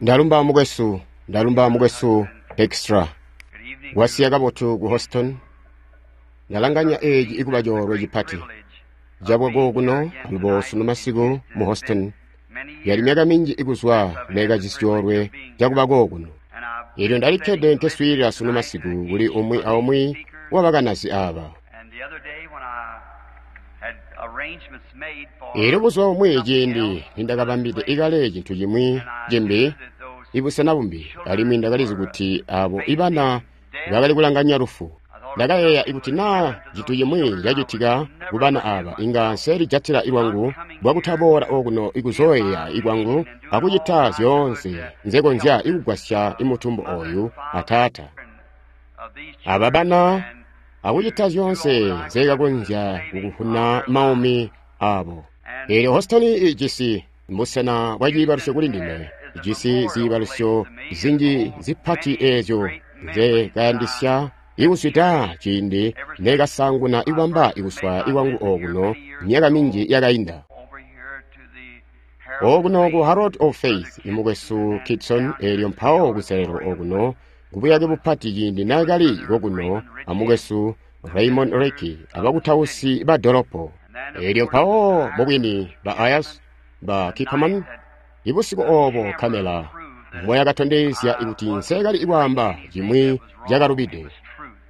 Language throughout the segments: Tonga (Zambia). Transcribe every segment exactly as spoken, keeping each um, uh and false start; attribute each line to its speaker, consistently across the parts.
Speaker 1: Ndalumba mukwesu, ndalumba mukwesu Extra. Wasiya kabotu ku Houston. Ndalanganya eeci ikuba coolwe cipati. Cabwa kokuno alubo sunu masiku mu Houston. Yali myaka minji ikuzwa neekajisi coolwe cakuba kokuno. Eelyo ndalikkede nkeswiilila sunu masiku kuli umwi aumwi wabakanazi aaba. Eelyo buzuba bumwi ciindi nindakabambide ikale cintu cimwi cimbi, ibusena bumbi, alimwi ndakalizi kuti aabo ibana bakali kulanganya lufu. Ndakayeeya ikuti naa cintu cimwi cacitika kubana aaba, inga nselijatila lwangu bwakutaboola okuno ikuzooyeeya ikwangu akucita zyoonse nzekonzya ikugwasya imutumbu ooyu ataata. Aba bana akucita zyoonse nzekakonzya kukuvuna maumi aabo. Eelyo Houston ijisi busena bwa ciibalusyo kuli ndime, ijisi ziibalusyo zinji zipati eezyo nzekayandisya ikuzwida ciindi neekasaanguna ikubamba ikuswaya ikwangu okuno myaka minji yakainda. Okuno ku Herald of Faith imukwesu Kitson, eelyo mpawo kuselelo okuno kubuyake bupati ciindi naakali kokuno amukwesu Raymond Ricky abakutausi ba dolopo. Eelyo mpawo mubwini ba Ayers ba Kipperman, ibusiku oobo kamela mboyakatondezya kuti nseekali kwaamba cimwi cakalubide,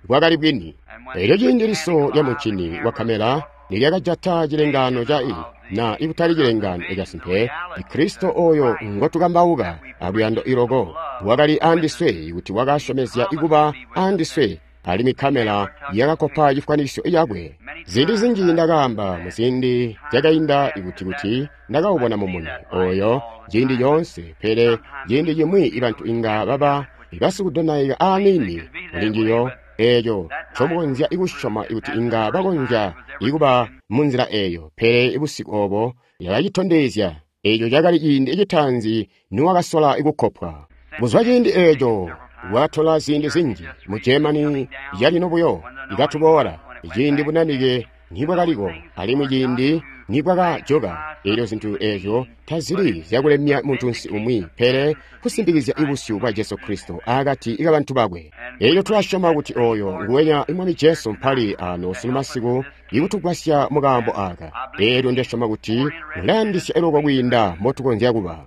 Speaker 1: bwakali bwini. Eelyo ciindi liso lya muncini wa kamela nilyakajata cilengaano ca i na ikutali cilengaano casimpe, Kristo ooyo ngotukambauka aluyando iloko wakali andiswe kuti wakasyomezya ikuba andiswe, alimwi kamela yakakopa cifwanisyo cakwe. Ziindi zinji ndakaamba muziindi zyakainda ikuti kuti ndakaubona mumuni ooyo ciindi coonse, pele ciindi cimwi ibantu inga baba basikudonaika aaniini kulinjiyo eeco ncomukonzya ikusyoma kuti inga bakonzya ikuba munzila eeyo, pele busiku oobo yakacitondezya eeco cakali ciindi citaanzi niwakasola ikukopwa. Kuzwa ciindi eeco wakatola ziindi zinji mu Germany calino buyo ikatuboola ciindi bunanike nibwakaliko alimwi ciindi nibwakajoka. Eelyo zintu eezyo tazili zyakulemya muntunsi umwi, pele kusimpikizya ibusyu bwa Jesu Kristo akati kabantu bakwe. Eelyo tulasyoma kuti ooyo nguwenya Mwami Jesu mpali ano sunu masiku ikutugwasya mukaambo aaka. Eelyo ndasyoma kuti ulayandisya iloko kwiinda mbotukonzya kuba.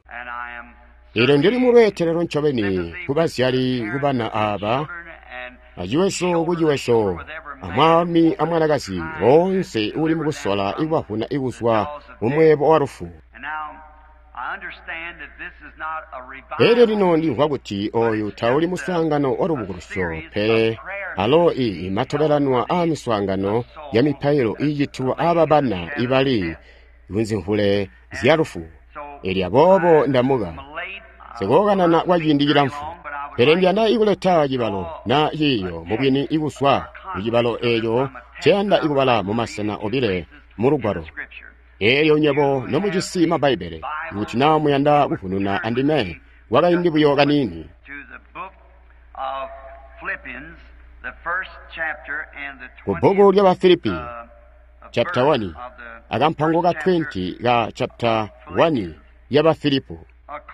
Speaker 1: Eelyo ndili mulweetelelo ncobeni kubazyali kubana aaba, aciweso kuciweso, amwaalumi amwanakazi woonse uuli mukusola ikubavuna ikuzwa mumweebo wa lufu. Eelyo lino ndimvwa kuti ooyu tauli muswaangano wa lubukulusyo, pele alo ii matobelanwa aamiswaangano ya mipailo iicitilwa aaba bana ibali kunzimvule zya lufu. Eelyo aboobo ndamuka sikookanana kwa ciindi cilamfu, pele ndiyanda ikuleta cibalo na ciiyo mubwini ikuzwa kucibalo eeco nceyanda ikubala mumasena obile mu Lugwalo. Eelyo nywebo nomujisi ma Bbaibbele, kuti naa muyanda kuvununa andime kwakaindi buyo kaniini. Kubbuku lya Bafilipi chapter one akampango ka twenty ka chapter one ya Bafilipo,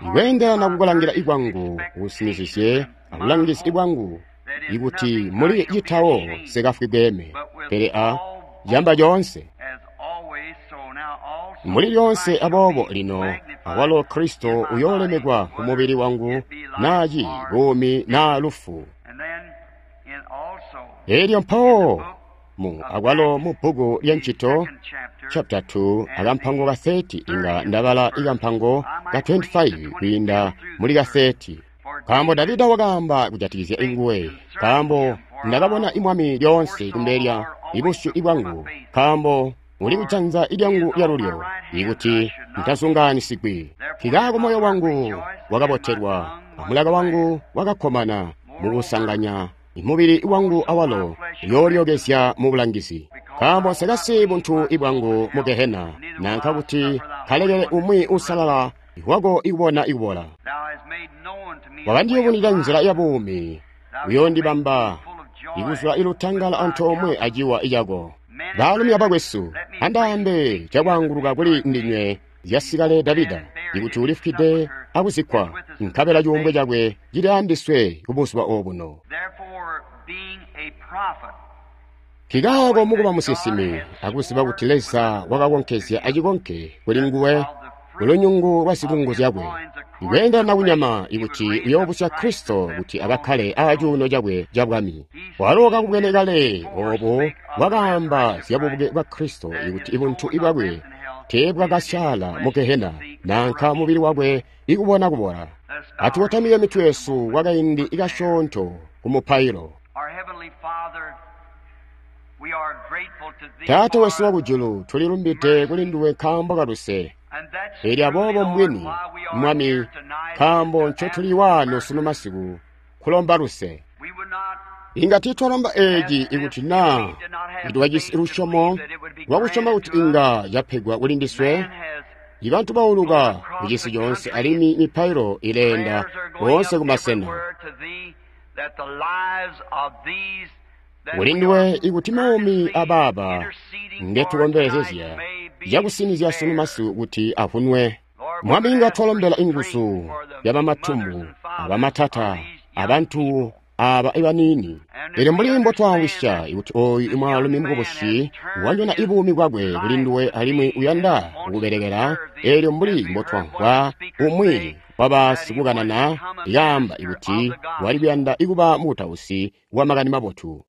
Speaker 1: ikweendelana kukulangila ikwangu kusinizizye abulangizi ibwangu ikuti muli citawo sikafwi bweeme, pele a camba coonse muli lyoonse. Aboobo lino awalo Kristo uyoolemekwa kumubili wangu, naaci buumi naa lufu. Eelyo mpawo mu akwalo mu bbuku lya Ncito chapter two akampango ka thirty inga ndabala ikampango ka twenty-five kwiinda muli ka thirty. Nkaambo Davida wakaamba kujatikizya inguwe, nkaambo ndakabona imwami lyoonse kumbele lya ibusyu ibwangu, nkaambo uli kujanza ilyangu lyalulyo, ikuti ntazungaanisigwi. Nkikaako moyo wangu wakabotelwa, amulaka wangu wakakkomana mukusanganya imubili wangu awalo uyoolyokezya mubulangizi. Nkaambo nsekasiyi buntu ibwangu mu Gehena, nanka kuti kalekele umwi uusalala wako ikubona ikubola. Wakandiyubunwida nzila ya buumi, uyoondibamba ikuzula ilutangala antoomwe aciwa cako. Baalumi abakwesu, andaambe cakwaanguluka kuli ndinywe zyasikale Davida, ikuti ulifwide akuzikkwa, nkabela cuumbwe cakwe cili andiswe kubuzuba obuno. Nkikaako mukuba musinsimi akuziba kuti Leza wakakonkezya acikonke kuli nguwe kulunyungu lwa zikungu zyakwe, ikweendelana kunyama ikuti uyoobusya Kristo kuti akakkale acuuno cakwe cabwami. Walo kakubwene kale oobo wakaamba zyabubuke bwa Kristo ikuti ibuntu bwakwe teebwakasyaala mu Gehena nanka mubili wakwe ikubona kubola. Atukotamike mitwe yesu kwakaindi kasyoonto kumupailo. Taata wesu wakujulu, tulilumbide kuli nduwe nkaambo kaluse. Eelyo aboobo mbwini, Mwami, nkaambo ncotuli waano sunu masiku kulomba luse. Inga tiitwalomba eeci ikuti naa twajisi lusyomo lwakusyoma kuti inga yapegwa kuli ndiswe. Ibantu bauluka kucisi coonse alimwi mipailo ileenda koonse kumasena. Kuli nduwe ikuti maumi abaaba ngetukombelezezya cakusinizya sunu masiku kuti avunwe. Mwami, inga twalombela inguzu yabamatumbu, abamatata, abantu aaba ibaniini. Elyo mbuli mbotwamvwisya ikuti ooyu imwaalumi mukubusi wanyona ibuumi bwakwe kuli nduwe alimwi uyanda kukubelekela, eelyo mbuli mbotwamvwa umwi wabasikukanana ikaamba ikuti wali kuyanda ikuba mukutausi wa makani mabotu.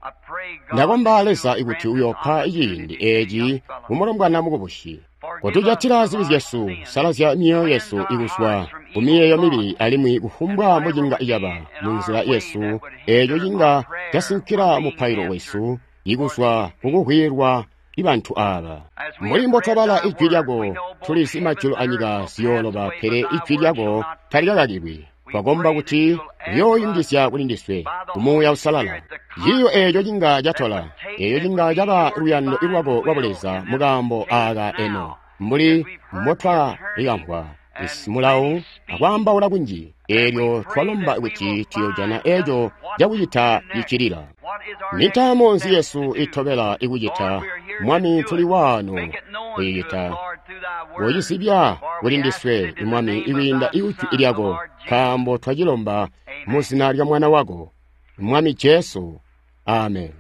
Speaker 1: Ndakomba Leza ikuti uyoopa ciindi eeci kumulombwana mukubusi. Kotujatila zibi zyesu, salazya myoyo yesu ikuzwa kumiyeeyo mibi alimwi kufumbwa mbocinga caba munzila yesu eeco cinga casinkila mupailo wesu ikuzwa kukuhwilwa ibantu aaba. Mbuli mbotwabala ijwi lyako, tulizi majulu anyika ziyooloba, pele ijwi lyako talikakakilwi. Twakomba kuti uyooyungizya kuli ndiswe kumuuya usalala ciiyo eeco cinga catola, eeco cinga caba luyando lwako lwa Buleza mukaambo aaka eno, mbuli mbotwalikamvwa mulawu akwaambaula kunji. Eelyo twalomba kuti tuyoojana eeco cakucita cicilila. Nintaamo nzi yesu itobela ikucita, Mwami? Tuli waano kuyicita. Kocizibya kuli ndiswe, Mwami, ikwiinda ijwi lyako, nkaambo twacilomba mu zina lya Mwana wako, Mwami Jesu. Amen.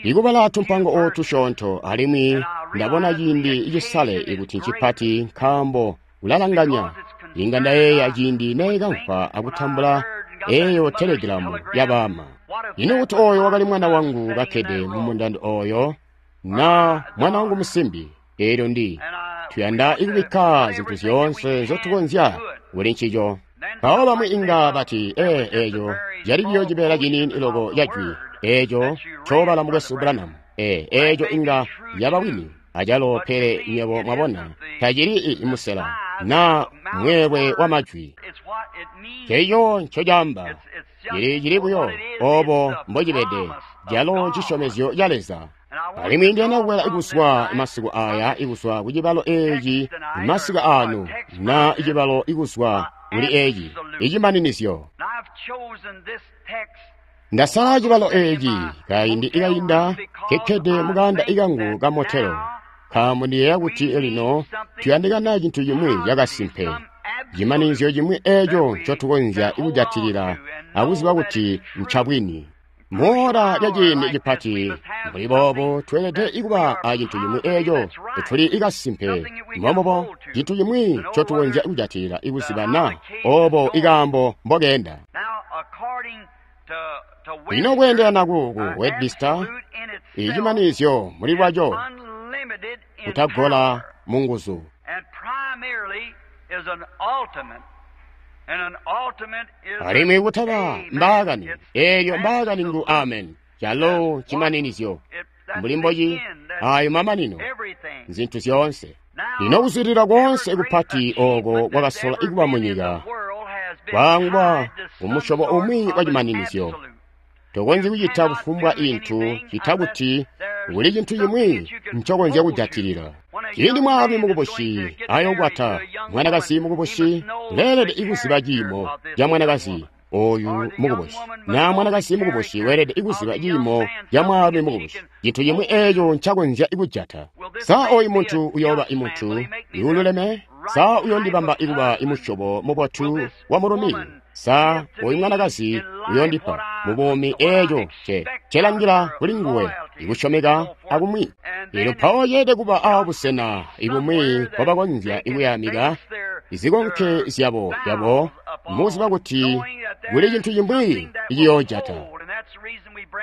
Speaker 1: Ikubala tumpango ootusyoonto, alimwi ndabona ciindi cisale ikuti ncipati nkaambo kulalanganya. Inga ndayeeya ciindi neekamvwa akutambula eeyo telegilamu yabaama. Ino kuti ooyo wakali mwana wangu kakkede mumundando ooyo, na mwana wangu musimbi? Eelyo ndi tuyanda ikubikka zintu zyoonse nzyotukonzya kuli ncico. Mpawo bamwi inga bati, ee, eeco cali buyo cibeela ciniini loko ca jwi eeco ncoobala mukwesu Branham. Ee, eeco inga yaba bwini acalo, pele nywebo mwabona tacili musela na mweelwe wa majwi. Ceeco ncocaamba cili cili buyo oobo mbocibede, calo cisyomezyo ca Leza. Alimwi ndiyanda kukwela ikuzwa masiku aya ikuzwa kucibalo eeci masiku ano, na icibalo ikuzwa kuli eeci icimaninizyo. Ndasala cibalo eeci kaindi ikainda kekkede mukaanda ikangu ka motelo, nkaambo ndiyeeya kuti lino tuyandikana cintu cimwi cakasimpe, cimaninizyo cimwi eeco ncotukonzya kujatilila akuziba kuti ncabwini. Moora lya ciindi cipati mbuli boobo tweelede ikuba acintu cimwi eeco tuli ikasimpe, mbombubo cintu cimwi ncotukonzya kujatilila ikuziba na oobo ikaambo mbokeenda. Lino kweendelana ku Webster, icimanizyo muli lwaco kutagola munguzu. Alimwi kutaba mbaakani, eelyo mbaakani ngu amen, calo cimaninizyo mbuli mboci ayo mamanino, nzintu zyoonse. Lino kuzwidilila koonse kupati ooko kwakasola ikuba munyika kwaangwa kumusyobo umwi wa cimaninizyo. Tokonzyi kucita kufumbwa intu cita kuti kuli cintu cimwi ncokonzya kujatilila. Ciindi mwaalumi mukubusi ayokwata mwanakazi mukubusi, uleelede ikuziba ciimo ca mwanakazi oyu mukubusi, na mwanakazi mukubusi weelede ikuziba ciimo ca mwaalumi mukubusi, cintu cimwi eeco ncakonzya kujata. Sa oyu muntu uyooba imuntu iululeme? Sa uyondibamba ikuba imusyobo mubotu wa mulumi? Sa oyu mwanakazi uyondipa mubuumi eeco nce ncelangila kuli nguwe, ikusyomeka akumwi? Elyo mpawo yeelede kuba aabusena ibumwi mpobakonzya ikuyamika izikonke zyabo byabo, muziba kuti kuli cintu cimwi iciyoojata.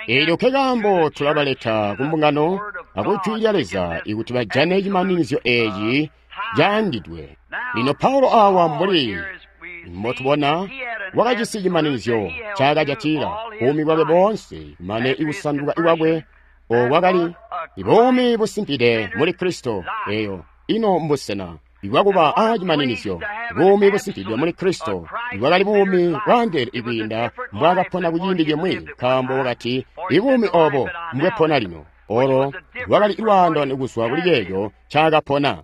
Speaker 1: Eelyo nkekaambo tulabaleta ku mbungano aku Jwi lya Leza ikuti bajane cimaninizyo eeci caangidwe. Lino Paulo awa mbuli mbotubona wakajisi cimaninizyo ncaakajatila buumi bwakwe boonse mane ikusanduka kwakwe okwakali buumi busimpide muli Kristo. Eyo ino mbusena ibwakuba a cimaninizyo, buumi busimpidwe muli Kristo ibwakali buumi bwaandeele ikwiinda mbwaakapona kuciindi cimwi, nkaambo wakati ibuumi obo mbwepona lino. Olo lwakali lwaandaano kuzwa kuli ceeco ncaakapona.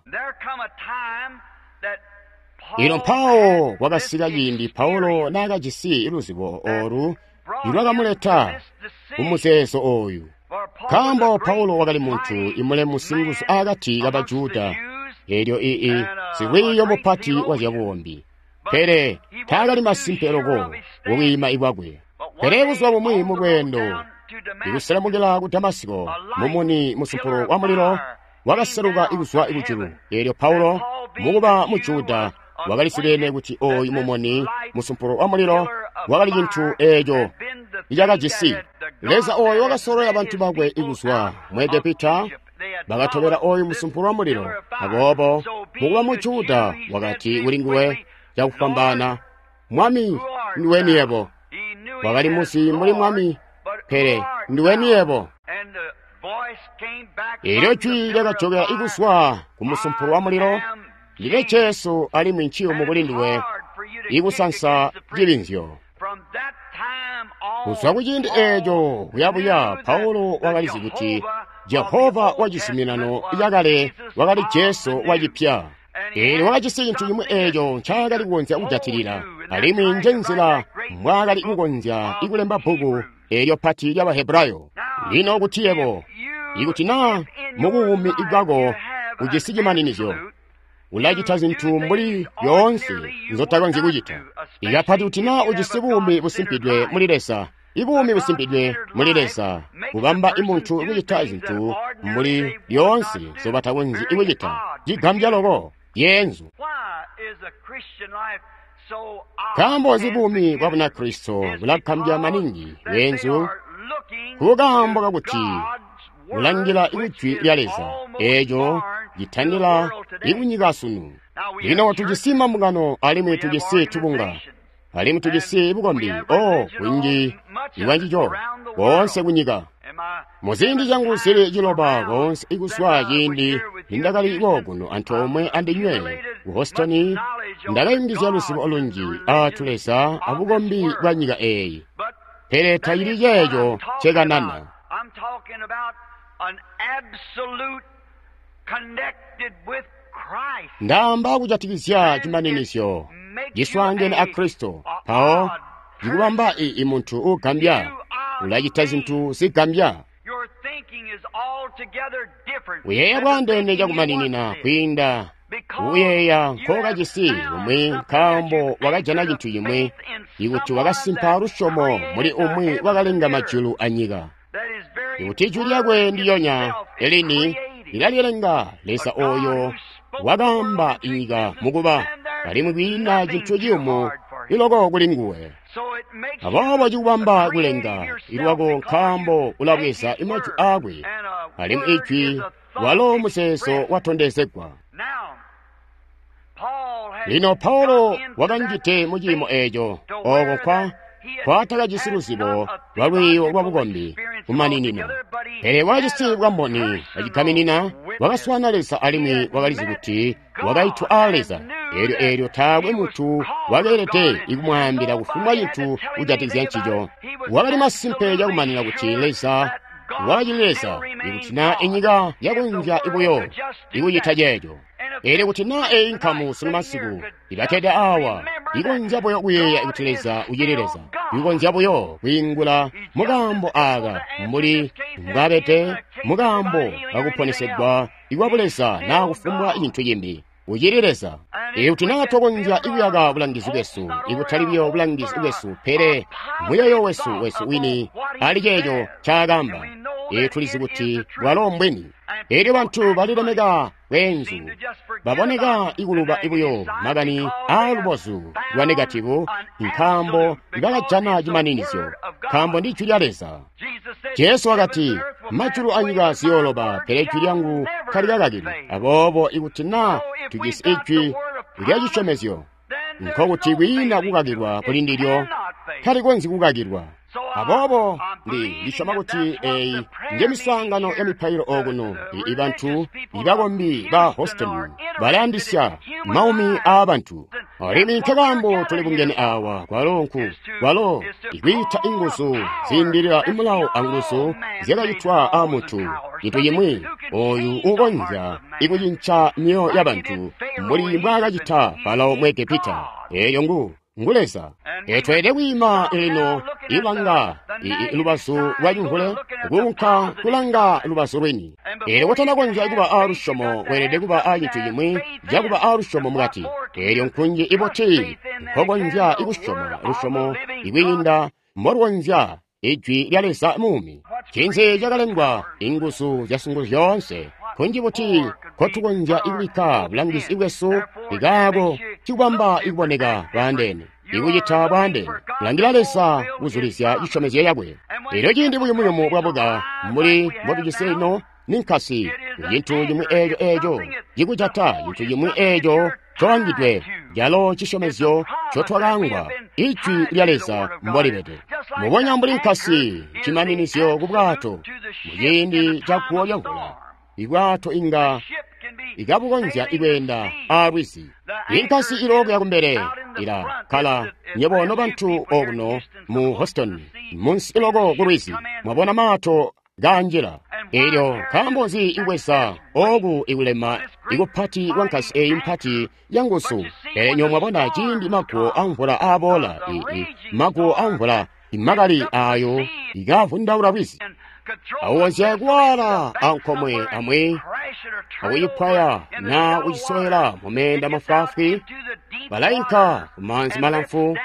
Speaker 1: Ino mpawo kwakasika ciindi Paulo naakajisi luzibo olu ilwakamuleta kumuzeezo ooyu, nkaambo Paulo wakali muntu imulemu singuzu akati kaba Juda, eelyo ii silwiiyo mupati wa zyabukombi, pele taakali masimpe loko kukwiima ikwakwe. Pele buzuba bumwi mu lweendo ikuselemukila ku Damasiko, mumuni musumpulo wa mulilo wakaseluka ikuzwa kujulu. Eelyo Paulo mukuba mu Juda wakalisibene kuti ooyu mumuni musumpulo wa mulilo wakali cintu eeco icakajisi Leza ooyo wakasololela bantu bakwe ikuzwa mu Egepita, bakatobela ooyu musumpulo wa mulilo. Aboobo mukuba mu Juda wakati kuli nguwe cakufwambaana, Mwami, nduweni yebo? Wakali muzi mbuli Mwami, pele nduweni yebo? Eelyo jwi lyakajokela ikuzwa ku musumpulo wa mulilo, Ndime Jesu alimwi nciyumu kuli nduwe ikusansa cibinzyo. Kuzwa kuciindi eeco kuyabuya, Paulo wakalizi kuti Jehova wa cizuminano cakale wakali Jesu wa cipya. Eelyo wakajisi cintu cimwi eeco ncaakali kukonzya kujatilila, alimwi njenzila mbwaakali kukonzya ikulemba bbuku eelyo pati lya Bahebrayo. Lino kuti yebo, ikuti naa mubuumi bwako ujisi cimaninizyo, ulacita zintu mbuli lyoonse nzotakonzyi kucita. Ikapati kuti naa ujisi buumi busimpidwe muli Leza, ibuumi busimpidwe muli Leza kubamba imuntu kucita zintu mbuli lyoonse nzobatakonzyi kucita. Cigambya loko yeenzu. Nkaambo nzi buumi bwa Bunakristo bulagambya maningi beenzu? Kukaambo kakuti kulangila ijwi lya Leza eeco citandila ikunyika sunu. Lino tujisi mambungano alimwi tujisi tubunga alimwi tujisi bukombi o kunji ibwancico koonse kunyika. Muziindi zyangu zili ciloba koonse ikuzwa ciindi nindakali kokuno antoomwe andinywe ku Houston, ndakayungizya luzibo lunji aatu Leza abukombi bwa nyika eeyi, pele tacili ceeco ncekanana. Ndaamba kujatikizya cimaninizyo ciswaangene a Kristo, mpawo cikubamba i muntu uugambya, ulacita zintu zigambya. Uyeeya bwaandeene cakumaninina kwiinda kuyeeya nkookajisi kumwi, nkaambo wakajana cintu cimwi ikuti wakasimpa lusyomo muli umwi wakalenga majulu anyika. Ikuti ijwi lyakwe ndilyonya elini lilalilenga, Leza ooyo wakaamba inyika mukuba, alimwi kwiina cintu ciyumu iloko kuli nguwe. Aboobo cikubamba kulenga ilwako nkaambo ulabweza imajwi aakwe, alimwi ijwi walo muzeezo watondezegwa. Lino Paulo wakanjide mu ciimo eeco ooko kwa kwatakajisi luzibo lwa lwiiyo lwa bukombi kumaninina, pele wakajisi bwamboni acigaminina. Wakaswaana Leza alimwi wakalizi kuti wakaitwa aa Leza. Eelyo eelyo taakwe muntu wakeelede ikumwaambila kufumbwa cintu kujatikizya ncico. Wakali masimpe cakumanina kuti Leza wakacili Leza, ikuti naa inyika yakonzya buyo ikucita ceeco. Eelyo kuti naa eeyi nkamu sunu masiku ibakkede awa ikonzya buyo kuyeeya kuti Leza ucili Leza, ikonzya buyo kwiingula mukaambo aaka mbuli mbwabede mukaambo kakuponesegwa ikwa buleza naa kufumbwa cintu cimbi. Ucili Leza. Ikuti naa twakonzya kuyaka bulangizi bwesu, ikutali buyo bulangizi bwesu, pele muyoyo wesu wesu wini ali ceeco ncaakamba. Ee, tulizi kuti bwalo mbwini. Elyo bantu balilemeka bweenzu, baboneka ikuluba buyo makani aalubozu lwa negativu, nkaambo bakajana cimaninizyo, nkaambo ndi jwi lya Leza. Jesu wakati, majulu anyika ziyooloba, pele jwi lyangu talikakakilwi. Aboobo ikuti naa tujisi ijwi lya cisyomezyo, nkokuti kwiina kukakilwa kuli ndilyo, talikonzyi kukakilwa. Aboobo ndi ndisyoma kuti eyi nje miswaangano ya mipailo okuno. I bantu ibakombi ba Houston balayandisya maumi aabantu, alimwi nkekaambo tuli bungene awa kwalo nku kwalo ikwiita inguzu ziindilila imulawo anguzu zyakacitwa aamuntu, cintu cimwi oyu ukonzya ikucinca myoyo ya bantu mbuli mbwaakacita Farao mu Egepita. Eyo ngu ngu Leza. Tweelede kwiima lino ilanga lubazu lwa cimvule kuunka kulanga lubazu lwini. Eelyo kutanakonzya kuba aalusyomo, weelede kuba aacintu cimwi cakuba aalusyomo mukati. Eelyo nkunji ibuti nkokonzya ikusyoma lusyomo ikwiinda mbolukonzya ijwi lya Leza muumi. Ncinzi cakalengwa inguzu zyasungu zyoonse? Kunji buti nkotukonzya ikubikka bulangizi bwesu ikaako cikubamba ikuboneka bwaandeene, ikucita bwaandeene, kulangila Leza kuzulizya cisyomezyo yakwe. Elyo ciindi buyumuyumu bwabuka mbuli mbotujisi lino, ninkasi cintu cimwi eeco eeco cikujata, cintu cimwi eeco coangidwe, calo cisyomezyo cotwakaangwa, ijwi lya Leza mbolibede. Mubonya mbuli nkasi cimaninizyo ku bwato muciindi ca guwo lyamvula, ibwato inga ikabukonzya ikweenda aalwizi. Inkasi ilookuya kumbele ila kkala. Nyebo nobantu okuno mu Houston, munsi iloko ku lwizi, mwabona maato kanjila. Elyo nkaambo nzi ibweza oku ikulema ikupati kwa nkasi eyi mpati ya nguzu? Pele nyo mwabona ciindi maguwo amvula aaboola, maguwo amvula imakali ayo ikavundaula lwizi, awonzya kuwala ankomwe amwi akuyipwaya na kucisowela mumeenda mafwaafwi, balainka kumaanzi malamfu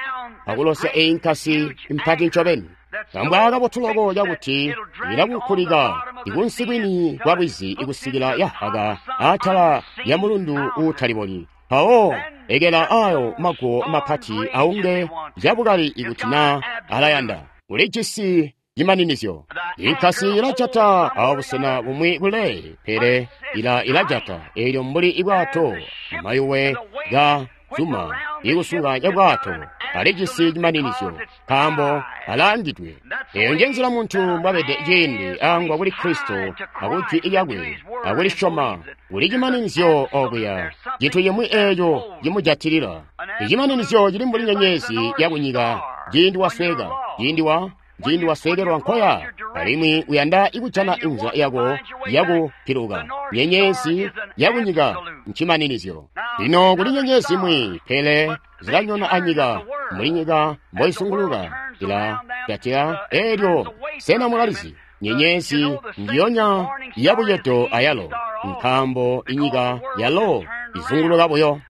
Speaker 1: akulosya eyi nkasi mpati ncobeni. Kambwa kabotu loko cakuti ilakunkulika ikunsi kwini kwa lwizi ikusikila yahaka atala ya mulundu uutalibonyi. Mpawo ekela ayo maguwo mapati aunge cabukali ikuti na alayanda. Ulijisi cimaninizyo. Inkasi ilajata abusena bumwi kule, pele ila ilajata elyo mbuli ibwato mayuwe ga zuma ikusunga cabwato alijisi cimaninizyo, nkaambo alaangidwe. Eyo nje nzila muntu mbwabede ciindi angwa kuli Kristo akujwi lyakwe akulisyoma. Kuli cimaninizyo okuya, cintu cimwi eeco cimujatilila. Icimaninizyo cili mbuli nyenyezi yakunyika ciindi wasweka, ciindi wa ciindi wasweekelwa nkoya, alimwi uyanda ikujana inzila yako yakupiluka. Nyenyezi yakunyika ncimaninizyo. Lino kuli nyenyezi imwi, pele zilanyona anyika mbuli nyika mboisunguluka ila jatila. Elyo sena mulalizi nyenyezi njiyonya yabucedo ayalo, nkaambo inyika yalo izunguluka buyo.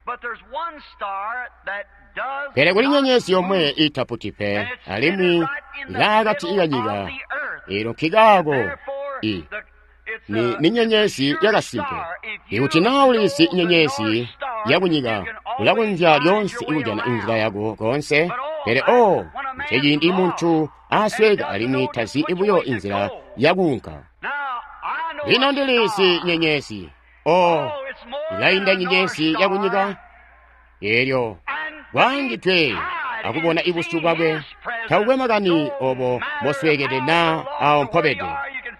Speaker 1: Pele kuli nyenyezi yomwe itaputi pe, alimwi ilaakati kanyika. Elo nkikaako i ni, ni nyenyezi yakasimpe. Ikuti naa ulizi nyenyezi yakunyika, ulakonzya lyoonse ikujana inzila yako koonse. Pele o nceciindi muntu asweka alimwi tazi buyo inzila yakuunka. Lino ndilizi nyenyezi, o ilainda nyenyezi yakunyika. Elyo kwaangidwe akubona ibusyu bwakwe, takukwe makani obo mboswekede naa awo mpobede.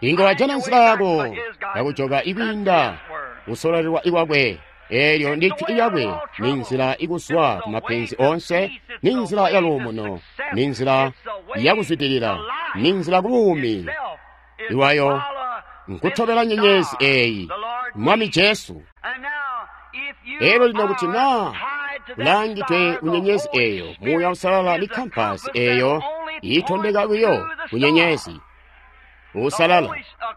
Speaker 1: Inga wajana nzila yako yakujoka ikwiinda kusololelwa ikwakwe. Elyo ndi jwi lyakwe, ni nzila ikuzwa ku mapenzi onse, ni nzila ya luumuno, ni nzila yakuzwidilila, ni nzila ku buumi iwayo nkutobela nyenyezi eyi, Mwami Jesu. Elyo lino kuti naa ulangidwe ku nyenyezi eyo, Muuya Uusalala ni kampasi eyo iitondeka buyo ku nyenyezi. Uusalala.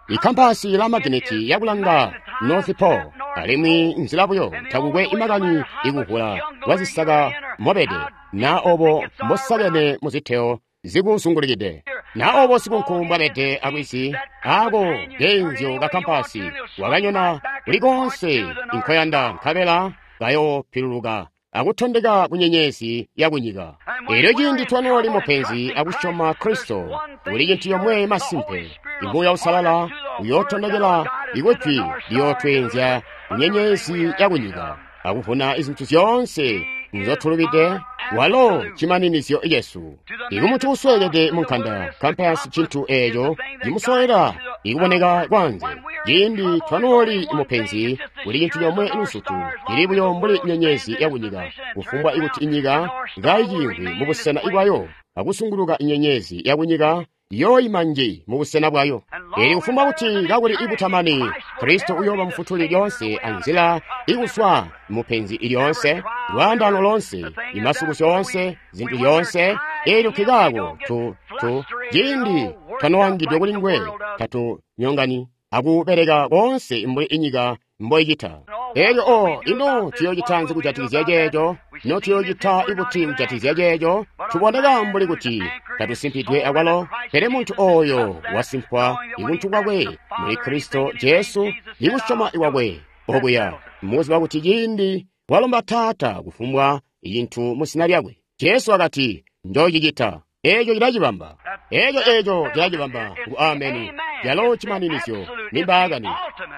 Speaker 1: Ikkampasi la magineti yakulanga North Pole, alimwi nzila buyo takukwe imakani ikuvula kwazisaka mobede, na obo mbosakene muziteo zikuzungulikide, na obo sikunku mbwabede alwizi, ako keenzyo ka kampasi wakanyona kuli konse inkoyanda nkabela kayopiluluka akutondeka ku nyenyezi ya kunyika. Elyo ciindi twanooli mupenzi akusyoma Kristo, kuli cintu yomwe masimpe, Muuya Uusalala uyootondekela ikujwi liyootweenzya ku nyenyezi ya kunyika akuvuna izintu zyoonse nzotulubide. Walo cimaninizyo cesu. Ikumuntu usweekede munkanda, kampasi cintu eeco cimusowela ikuboneka kwanze. Ciindi twanooli mupenzi, kuli cintu comwe luzutu cili buyo mbuli nyenyezi yakunyika, kufumbwa ikuti inyika kaiciimvwi mubusena bwayo akusunguluka inyenyezi yakunyika yooyima nji mubusena bwayo. Eli kufumbwa kuti kakuli ikutamani, Kristo uyooba mufutuli lyoonse anzila ikuswa mupenzi ilyoonse, lwaandano lonse, imasukusyo onse, zintu zyoonse. Elyo nkikaako tu tu ciindi twanoangidwe kuli nguwe tatunyongani akubeleka konse mbuli inyika mboicita. Elyo o ino tuyoocita nzi kujatikizya ceeco? Ino tuyoocita ikuti kujatikizya ceeco? Tuboneka mbuli kuti tatusimpidwe akwalo, pele muntu oyo wasimpwa ibuntu bwakwe muli Kristo Jesu, ikusyoma ikwakwe okuya, mukuziba kuti ciindi walomba Taata kufumbwa cintu mu zina lyakwe, Jesu wakati, njoocicita. Eeco cilacibamba. Eeco eeco cilacibamba ngu ameni. Yalo cimaninizyo ni mbaakani.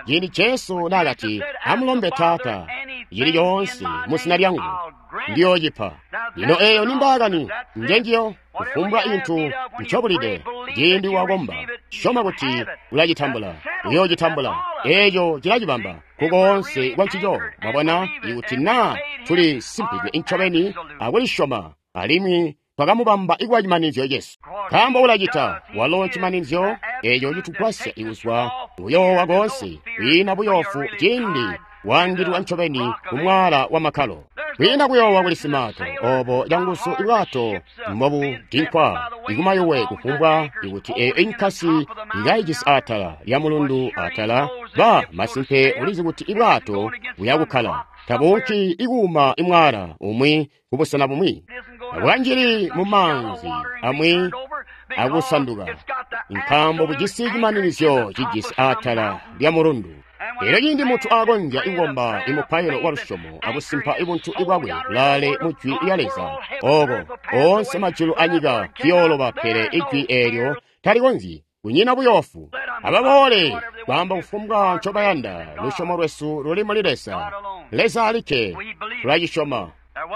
Speaker 1: Ciindi Jesu naakati, amulombe Taata cili coonse mu zina lyangu, ndiyoocipa. Lino eeyo ni mbaakani, njenjiyo. Kufumbwa cintu ncobulide, ciindi wakomba, syoma kuti ulacitambula, uyoocitambula. Eeco cilacibamba kukoonse kwa ncico. Mwabona, ikuti naa tuli simpidwe incobeni akulisyoma, alimwi twakamubamba ikuba cimaninizyo cesu. Nkaambo ulacita, walo cimaninizyo eeco citugwasya ikuzwa kuyoowa koonse, kwiina buyoofu ciindi waangilwa ncobeni kumwaala wa makkalo. Kwiina kuyoowa kuli simaato, obo canguzu ibwato mbobudinkwa ikumayuwe kufumbwa ikuti eeyo inkasi ikaijisi atala lya mulundu atala, ba masimpe ulizi kuti ibwato buyakukkala, tabuunki ikuuma imwaala umwi kubusena bumwi. Bwanjili mu maanzi amwi akusanduka, nkaambo bujisi cimaninizyo cijisi atala lya mulundu. Elyo ciindi muntu akonzya ikukomba imupailo wa lusyomo akusimpa ibuntu ibwakwe bulaale mu jwi lya Leza, oko oonse majulu anyika ziyooloba, pele ijwi eelyo talikonzyi. Kunyina buyoofu. Ababoole kwaamba kufumbwa ncobayanda. Lusyomo lwesu luli muli Leza. Leza alikke tulacisyoma.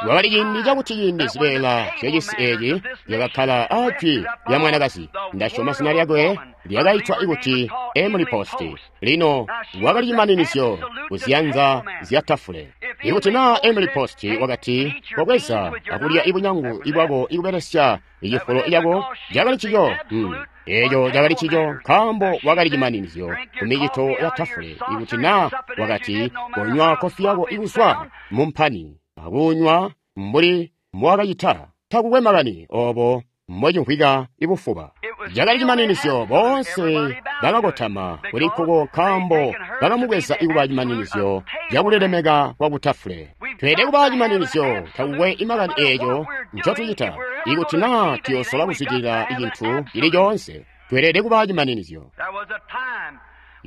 Speaker 1: Kwakali ciindi cakuti ciindi zibeela zyacisi eeci zyakakkala ajwi lya mwanakazi. Ndasyoma zina lyakwe lyakaitwa ikuti Emily Post. Lino wakali cimaninizyo kuziyanza zya tafule. Ikuti naa Emily Post wakati, kobweza akulya ibunyangu ibwako ikubelesya icifulo cako, cakali cico. Hmm. Eeco cakali cico nkaambo wakali cimaninizyo kumicito ya tafule. Ikuti naa wakati, konywa kofi yako ikuzwa mumpani akunywa mbuli mbowakacita, takukwe makani obo mbocimvwika ibufuba. Cakali cimaninizyo. Boonse bakakotama kuli nkuko nkaambo bakamubweza ikuba cimaninizyo cakulilemeka kwa kutafule. Tweelede kuba cimaninizyo, takukwe imakani eeco ncotucita. Ikuti naa tuyosola kuzwidilila icintu cili coonse, tweelede kuba cimaninizyo.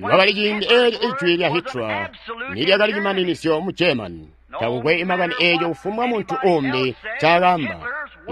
Speaker 1: Kwakali ciindi eelyo ijwi lya Hitler nilyakali cimaninizyo mu German. Takukwe imakani eeco kufumbwa muntu umbi ncaakaamba,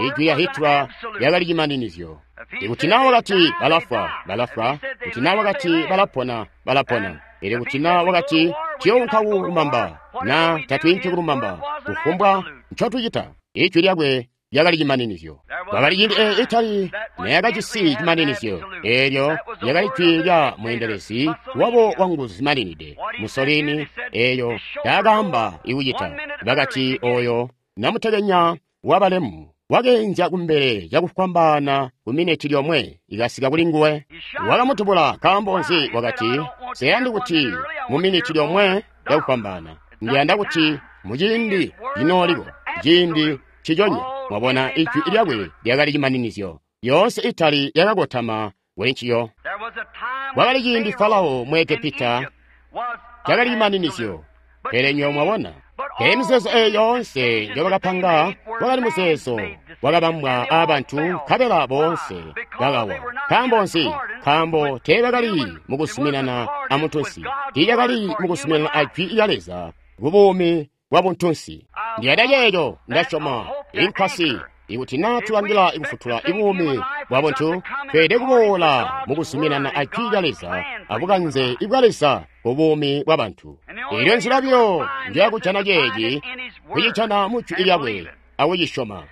Speaker 1: ijwi lya Hitler lyakali cimaninizyo. Ikuti naa wakati balafwa, balafwa. Kuti naa wakati balapona, balapona. Elyo kuti naa wakati tuyounka kulumamba, naa tatwiinki kulumamba, kufumbwa ncotucita, ijwi lyakwe lyakali cimaninizyo. Kwakali ciindi eeyo Itali neyakajisi cimaninizyo. Eelyo lyakali jwi lya mweendelezi wabo wanguzu zimaninide, Mussolini. Eeyo taakaamba ikucita. Bakati oyo namutekenya wabalemu wakeenzya kumbele cakufwambaana ku mineti lyomwe ikasika kuli nguwe, wakamutubula. Nkaambo nzi? Wakati, seyandi kuti mu miniti lyomwe lyakufwambaana, ndiyanda kuti muciindi cinooliko, ciindi ciconya. Mwabona, ijwi lyakwe lyakali cimaninizyo. Yoonse Itali yakakotama kuli nciyo. Kwakali ciindi Farao mu Egepita cakali cimaninizyo, pele nywebo mwabona, pele mizeezo eyo yoonse njobakapanga wakali muzeezo wakabambwa aabantu, nkabela boonse bakawa. Nkaambo nzi? Nkaambo teebakali mukuzuminana amuntunsi, tiilyakali mukuzuminana a Jwi lya Leza kubuumi bwa buntunsi. Ndiyanda ceeco, ndasyoma inkwasi. Ikuti naa tulangila ikufutula ibuumi bwa buntu, tweelede kuboola mukuzuminana a Jwi lya Leza abukanze ibwa Leza kubuumi bwa bantu. Eelyo nzila buyo njeyakujana ceeci, kucijana mu Jwi lyakwe akucisyoma.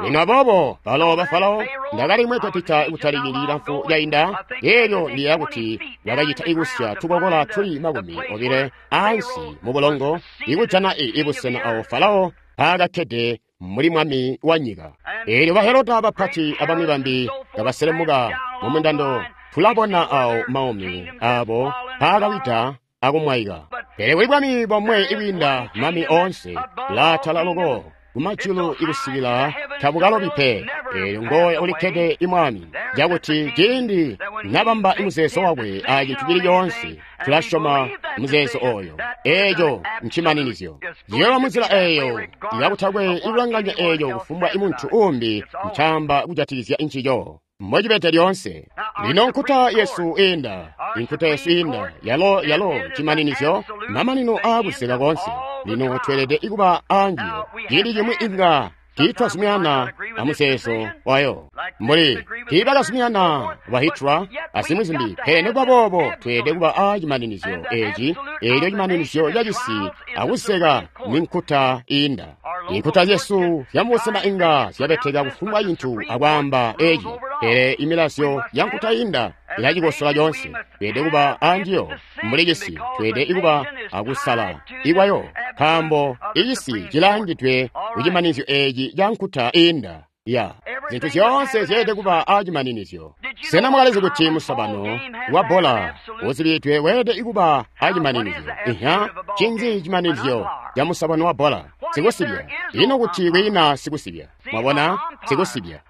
Speaker 1: Lino aboobo balo ba Farao, ndakali mu Egepita kutali ciindi cilamfu cainda, eelyo ndiyeeya kuti bakacita ikusya tukokola tuli makumi obile ansi mu bulongo, ikujana ibusena awo Farao mpaakakkede mbuli mwami wa nyika. Eelyo ba Heroda bapati abamwi bambi kabaselemuka mu mundando, tulabona awo maumi abo mpaakawida akumwaika. Pele kuli bwami bomwe ibwiinda mami oonse, laatala loko kumajulu ikusikila tabukalobi pe. Eelyo ngooyo ulikkede imwami, cakuti ciindi nabamba imuzeezo wakwe a cintu cili coonse, tulasyoma muzeezo oyo. Eeco ncimaninizyo. Ciyooba munzila eeyo kakutakwe ikulanganya eeco kufumbwa imuntu uumbi ncaamba kujatikizya ncico. Mbocibede lyoonse. Lino nkuta yesu iinda, inkuta yesu iinda, yalo yalo cimaninizyo, mamanino aakuseka koonse. Lino tweelede kuba aanjiyo. Ciindi cimwi inga tiitwazuminana amuzeezo wayo, mbuli tiibakazuminana ba Hitler azimwi zimbi, pele nikuba boobo tweelede kuba aa cimaninizyo eeci, eelyo cimaninizyo cacisi akuseka ninkuta iinda. Inkuta zyesu zyamubusena inga zyabeteka kufumbwa cintu akwaamba eeci, pele imilazyo yankuta iinda ilacikosola coonse. Tweelede kuba aanjiyo mbuli cisi, tweelede kuba akusala ikwayo, nkaambo icisi cilaangidwe kucimaninizyo eeci ca nkuta iinda. Ya zintu zyoonse zyeelede kuba aacimaninizyo. Sena mwakalizi kuti musobano wa bbola uzibidwe weelede kuba aacimaninizyo? Iha, ncinzi cimaninizyo ca musobano wa bbola? Sikusibya. Ino kuti kwiina sikusibya? Mwabona, sikusibya.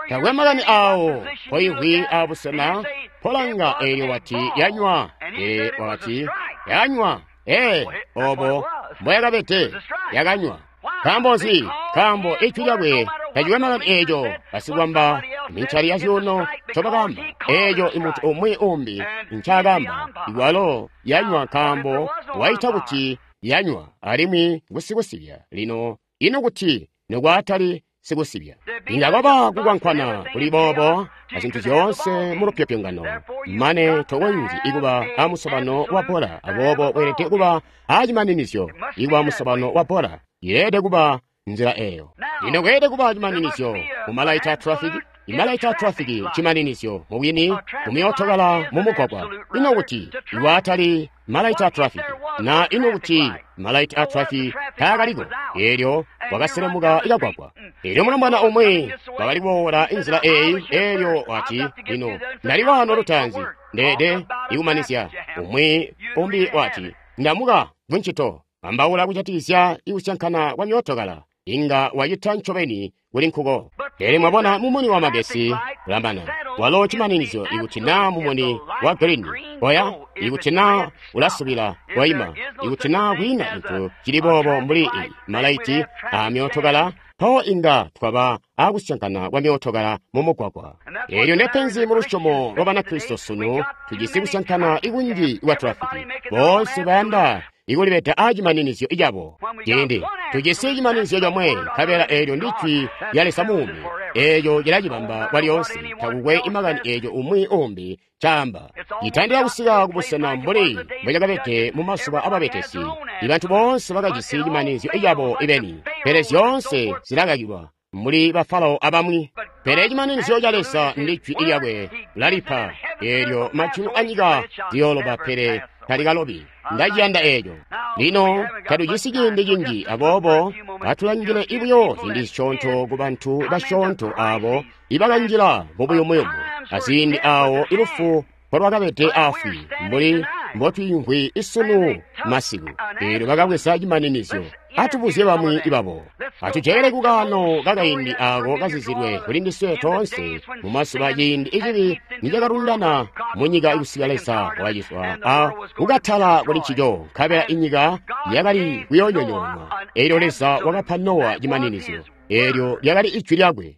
Speaker 1: Takwe makani awo mpoimvwi abusena polanga, eelyo wati yanywa, pele wakati yanywa. Ee, obo mboyakabede, yakanywa. Nkaambo nzi? Nkaambo ijwi lyakwe tacikwe makani eeco basikwamba mincali ya zyuuno ncobakaamba, eeco imuntu umwi umbi ncaakaamba, iwalo yanywa nkaambo waita kuti yanywa, alimwi ngusikusibya. Lino ino kuti nokwaatali sikusibya, inga kwaba kukwankwana kuli boobo azintu zyoonse mu lupyopyongano, mane tokonzyi ikuba amusobano wa bbola. Aboobo weelede kuba aacimaninizyo ikuba musobano wa bbola. Yeelede kuba nzila eyo. Lino kweelede kuba cimaninizyo mumalaiti a trafiki. Imalaiti a trafiki cimaninizyo mubwini mumyootokala mumugwagwa. Ino kuti iwaatali malaiti a trafiki, na ino kuti malaiti a trafiki taakaliko, eelyo wakaselemuka ikagwagwa. Eelyo mulombwana umwi wakali kuboola inzila eeyi, eelyo wati, lino ndali waano lutaanzi, ndeede ikumanizya. Umwi umbi wati, ndamuka kuncito. Ambaula kujatikizya ikusyankana kwa myootokala, inga wacita ncobeni kuli nkuko. Pele mwabona mumuni wa magesi ulamana, walo cimaninizyo. Ikuti naa mumuni wa green oya, ikuti naa ulasubila waima, ikuti naa kwiina cintu cili boobo mbuli malaiti a myootokala, mpawo inga twaba akusyankana kwa myootokala mumugwagwa. Eelyo ndepenzi mu lusyomo lwa Banakristo sunu, tujisi kusyankana ikunji kwa trafiki. Boonse bayanda ikulibeda aacimaninizyo cabo. Ciindi tujisi cimaninizyo comwe, nkabela eelyo ndi Jwi lya Leza muumi, eeco cilacibamba kwalyoonse. Takukwe imakani eeco umwi umbi caamba. Citandila kusika kubusena mbuli mbocakabede mu mazuba ababetesi. Ibantu boonse bakajisi cimaninizyo cabo ibeni, pele zyoonse zilakakilwa mbuli ba Farao abamwi. Pele cimaninizyo ca Leza ndi Jwi lyakwe, ulalipa. Eelyo majulu anyika ziyooloba, pele talikalobi. Ndaciyanda eeco. Lino tatujisi ciindi cinji, aboobo atulangile ibuyo ciindi cisyoonto ku bantu basyoonto aabo ibakanjila mubuyumuyumu, aziindi aawo ilufu mpolwakabede afwi, mbuli mbotwiimvwi isunu masiku. Eelyo bakabweza cimaninizyo. Atubuzye bamwi babo. Atujele kukaano kakaindi aako kazizilwe kuli ndiswe toonse mu mazuba ciindi icibi nicakalundana mu nyika kusika Leza wakacizwa a kukatala kuli ncico, nkabela inyika yakali kuyoonyonyoonwa. Eelyo Leza wakapa Nowa cimaninizyo. Eelyo lyakali ijwi lyakwe.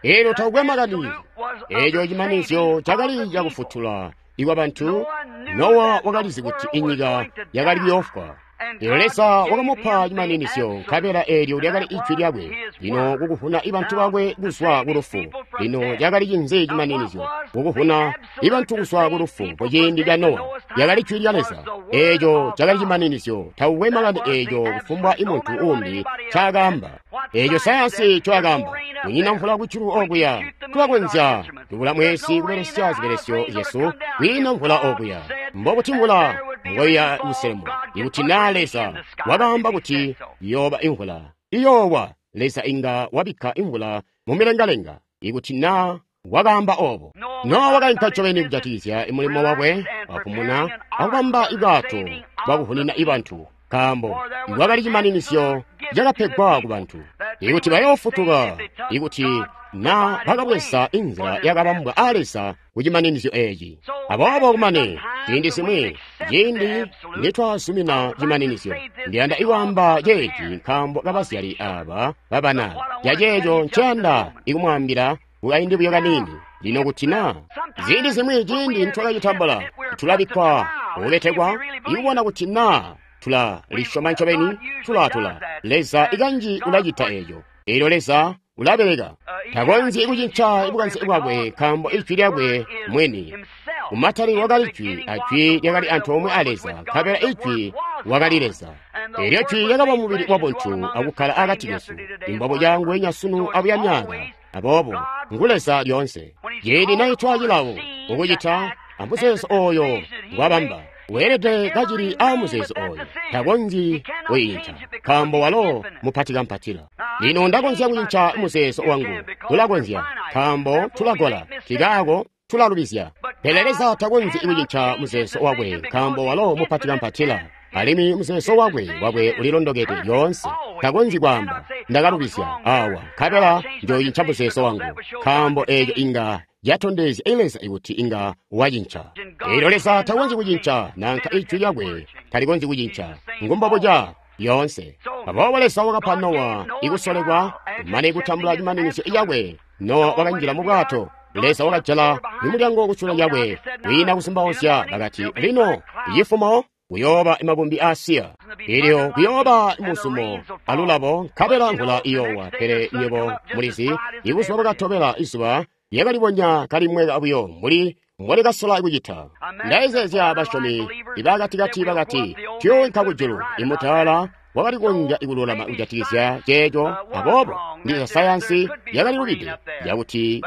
Speaker 1: Eelyo takukwe makani. Eeco cimaninizyo cakali cakufutula ikwa bantu. Nowa wakalizi kuti inyika yakali kuyoofwa. Eelyo Leza wakamupa cimaninizyo, nkabela eelyo lyakali ijwi lyakwe. Lino kukuvuna ibantu bakwe kuzwa ku lufu. Lino lyakali cinzi cimaninizyo? Kukuvuna ibantu kuzwa ku lufu kuciindi ca Nowa. Lyakali jwi lya Leza. Eeco cakali cimaninizyo. Takukwe makani eeco kufumbwa imuntu uumbi ncaakaamba. Eeco sayansi ncoakaamba. Kunyina mvula kujulu okuya. Tulakonzya tubula mwezi kubelesya zibelesyo zyesu. Kwiina mvula okuya. Mbokuti mvula ngoya kuselemuka. Ikuti naa Leza wakaamba kuti iyooba imvula, iyoowa. Leza inga wabikka imvula mu milengalenga. Ikuti naa wakaamba obo. Nowa wakainka ncobeni kujatikizya mulimo wakwe wapumuna akubamba ibwato bwakuvunina ibantu, nkaambo iwakali cimaninizyo cakapegwa ku bantu. Ikuti bayoofutuka, ikuti na bakabweza inzila yakabambwa a Leza ku cimaninizyo eeci. Aboobo kumane ciindi zimwi, ciindi nitwazumina cimaninizyo, ndiyanda ikwaamba ceeci nkaambo kabazyali aaba babana. Caceeco nceyanda ikumwaambila kukaindi buyo kaniini. Lino kuti na ziindi zimwi ciindi nitwakacitambula, tulabikkwa kubetekwa ikubona kuti na tulalisyoma ncobeni, tulatula. Leza ikanji ulacita eeco. Eelyo Leza ulabeleka. Takonzyi kucinca bukanze bwakwe nkaambo ijwi lyakwe mwini. Kumatali wakali jwi, ajwi lyakali antoomwe a Leza, nkabela ijwi wakali Leza. Eelyo jwi lyakaba mubili wabuntu akukkala akati kesu. Imbabo cangu sunu abuya myaka. Aboobo ngu Leza lyoonse. Ciindi naitwa cilawo ukucita amuzeezo ooyo ngwabamba, weelede kacili aamuzeezo ooyo. Takonzyi kwiinca nkaambo walo mupati kampatila. Lino ndakonzya kucinca muzeezo wangu. Tulakonzya nkaambo tulagola, kikaako tulalubizya. Pele Leza takonzyi kucinca muzeezo wakwe nkaambo walo mupati kampatila. Alimwi muzeezo wakwe wakwe ulilondokede lyoonse. Takonzyi kwaamba ndakalubizya awa, nkabela njoocinca muzeezo wangu, nkaambo eeco inga yatondezya Leza ikuti inga wacinca. Eelyo Leza takonzyi kucinca, nanka ijwi lyakwe talikonzyi kucinca. Ngumbobuca yoonse. Aboobo Leza wakapa Nowa ikusolekwa kumane kutambula cimaninizyo cakwe. Nowa wakanjila mu bwato. Leza wakajala imulyango kusule lyakwe. Kwiina kuzumbauzya bakati, lino cifumo kuyooba makumbi aasiya. Eelyo kuyooba muzumo alulabo, nkabela mvula iyoowa. Pele nywebo mulizi, ibuzuba bwakatobela izuba lyakalibonya kalimweka buyo mbuli mbwalikasola kucita. Ndayezeezya basyomi ibakatikati bakati, tuyooinka kujulu. Imutaala wakali konzya ikululama kujatikizya ceeco. Aboobo ndiza sayansi yakalilubide yakuti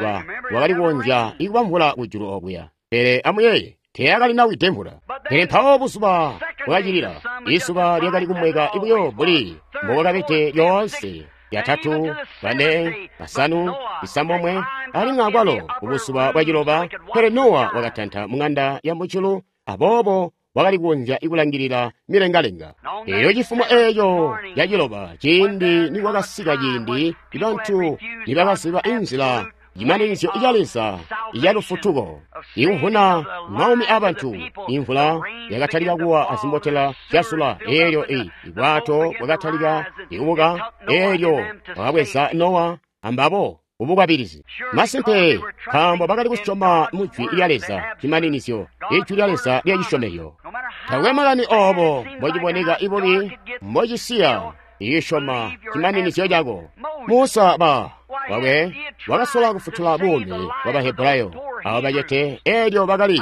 Speaker 1: wakali konzya ikuba mvula kujulu okuya. Pele amuyeeye, teyakalinawide mvula. Pele mpawo buzuba bwakacilila, izuba lyakali kumweka buyo mbuli mbobwakabede lyoonse. Yatatu, bane, basanu, isambomwe, alimwi akwalo kubuzuba bwaciloba. Pele Nowa wakatanta mung'anda ya mujulu, aboobo wakali kukonzya ikulangilila milengalenga. Eelyo cifumo eeco caciloba, ciindi nikwakasika ciindi bantu nibakaziba inzila cimaninizyo ca Leza icalufutuko, ikuvuna maumi abantu, imvula yakatalika kuwa azimbotela zyasula. Eelyo ibwato bwakatalika ikubuka. Eelyo bakabweza Nowa ambabo ubukwabilizi. Masimpe, nkaambo bakali kusyoma mu jwi lya Leza, cimaninizyo, ijwi lya Leza lyacisyomezyo. Takwe makani oobo mbociboneka ibubi mbocisiya isyoma cimaninizyo cako. Musa ba wakwe wakasola kufutula buumi bwa Bahebrayo abo bacete. Eelyo bakali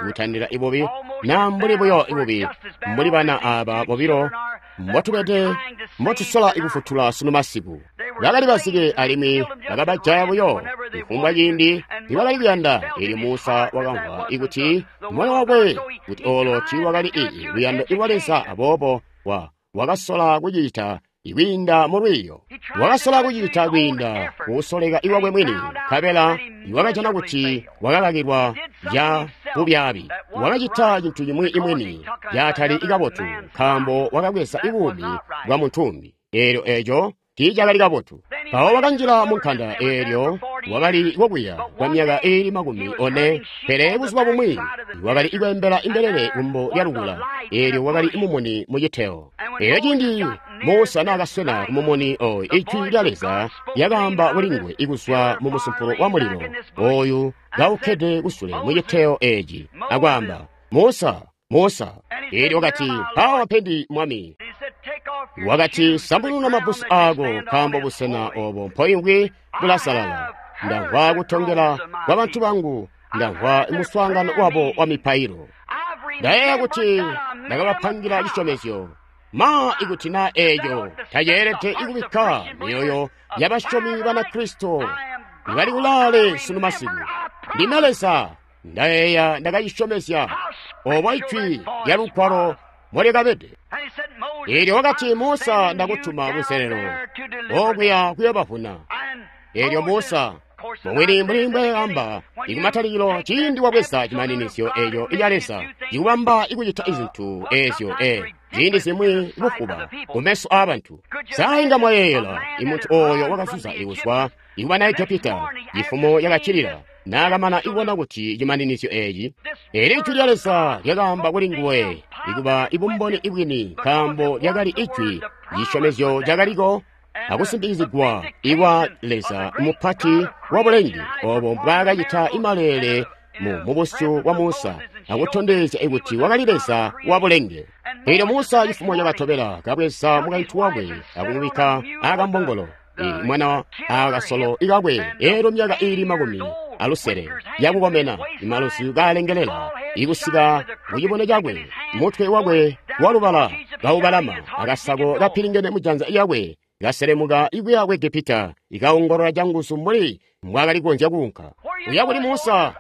Speaker 1: kutandila ibubi na mbuli buyo ibubi mbuli bana aba bobilo mbotubede mbotusola ikufutula sunu masiku. Bakali bazike alimwi bakabajaya buyo kufumbwa ciindi nibakali kuyanda. Eelyo Musa wakamvwa ikuti moyo wakwe kuti oolo tiiwakali ii luyando lwa Leza, aboobo wa wakasola kucita ikwiinda mu lwiiyo. Wakasola kucita kwiinda kusoleka iwakwe mwini, nkabela iwakajana kuti wakakakilwa ya bubyaabi. Wakacita cintu cimwi imwini caatali kabotu, nkaambo wakabweza buumi bwa muntu umbi. Eelyo eeco tiicakali kabotu. Mpawo wakanjila mu nkanda, eelyo wakali kokuya kwa myaka iili makumi one. Pele buzuba bumwi wakali kweembela imbelele kumbo lya lukula, eelyo wakali mumuni mu citeo. Eelyo ciindi Musa naakaswena kumumuni oyu, ijwi lya Leza lyakaamba kuli nguwe ikuzwa mu musumpulo wa mulilo oyu kaukkede kusule mu citeo eeci, akwaamba, Musa, Musa. Eelyo wakati, mpaawa mpendi, Mwami. Wakati, sambununa mabbusu aako, nkaambo busena obo mpoimvwi bulasalala. Ndamvwa kutongela kwa bantu bangu, ndamvwa muswaangano wabo wa mipailo. Ndayeeya kuti ndakabapangira cisyomezyo. Ma ikuti na eeco taceelede ikubikka myoyo yabasyomi Banakristo ibali kulaale sunu masiku. Ndime Leza, ndayeeya ndakacisyomezya obo ijwi lya lugwalo molyakabede. Eelyo wakati, Musa, ndakutuma kuselelo okuya kuyobavuna. Eelyo Musa mubwini mbuli mbweamba ikumatalikilo, ciindi wabweza cimaninizyo eeco ica Leza cikubamba ikucita izintu eezyo e ziindi zimwi bufuba kumeso aabantu. Sa inga mwayeeyela imuntu ooyo wakazuza ikuzwa ikubana Egepita cifumo yakacilila naakamana ikubona kuti cimaninizyo eeci eeli ijwi lya Leza lyakaamba kuli nguwe ikuba ibumboni ibwini, nkaambo lyakali ijwi cisyomezyo cakaliko akusimpikizigwa ikwa Leza mupati wa bulengi obo mbwaakacita imaleele mu mubusyu bwa Musa akutondezya ikuti wakali Leza wa bulenge. Eelyo Musa cifumo cakatobela kabweza mukaintu wakwe akumubikka akambongolo mwana akasolo ikakwe, eelyo myaka iili makumi alusele yakukomena, imalusi kaalengelela ikusika kucibono cakwe, mutwe wakwe walubala kaubalama, akasako kapilingene mujanza lyakwe kaselemuka ikuya ku Egepita, ikaongolola canguzu mbuli mbwaakali kukonzya kuunka. Uya kuli Musa,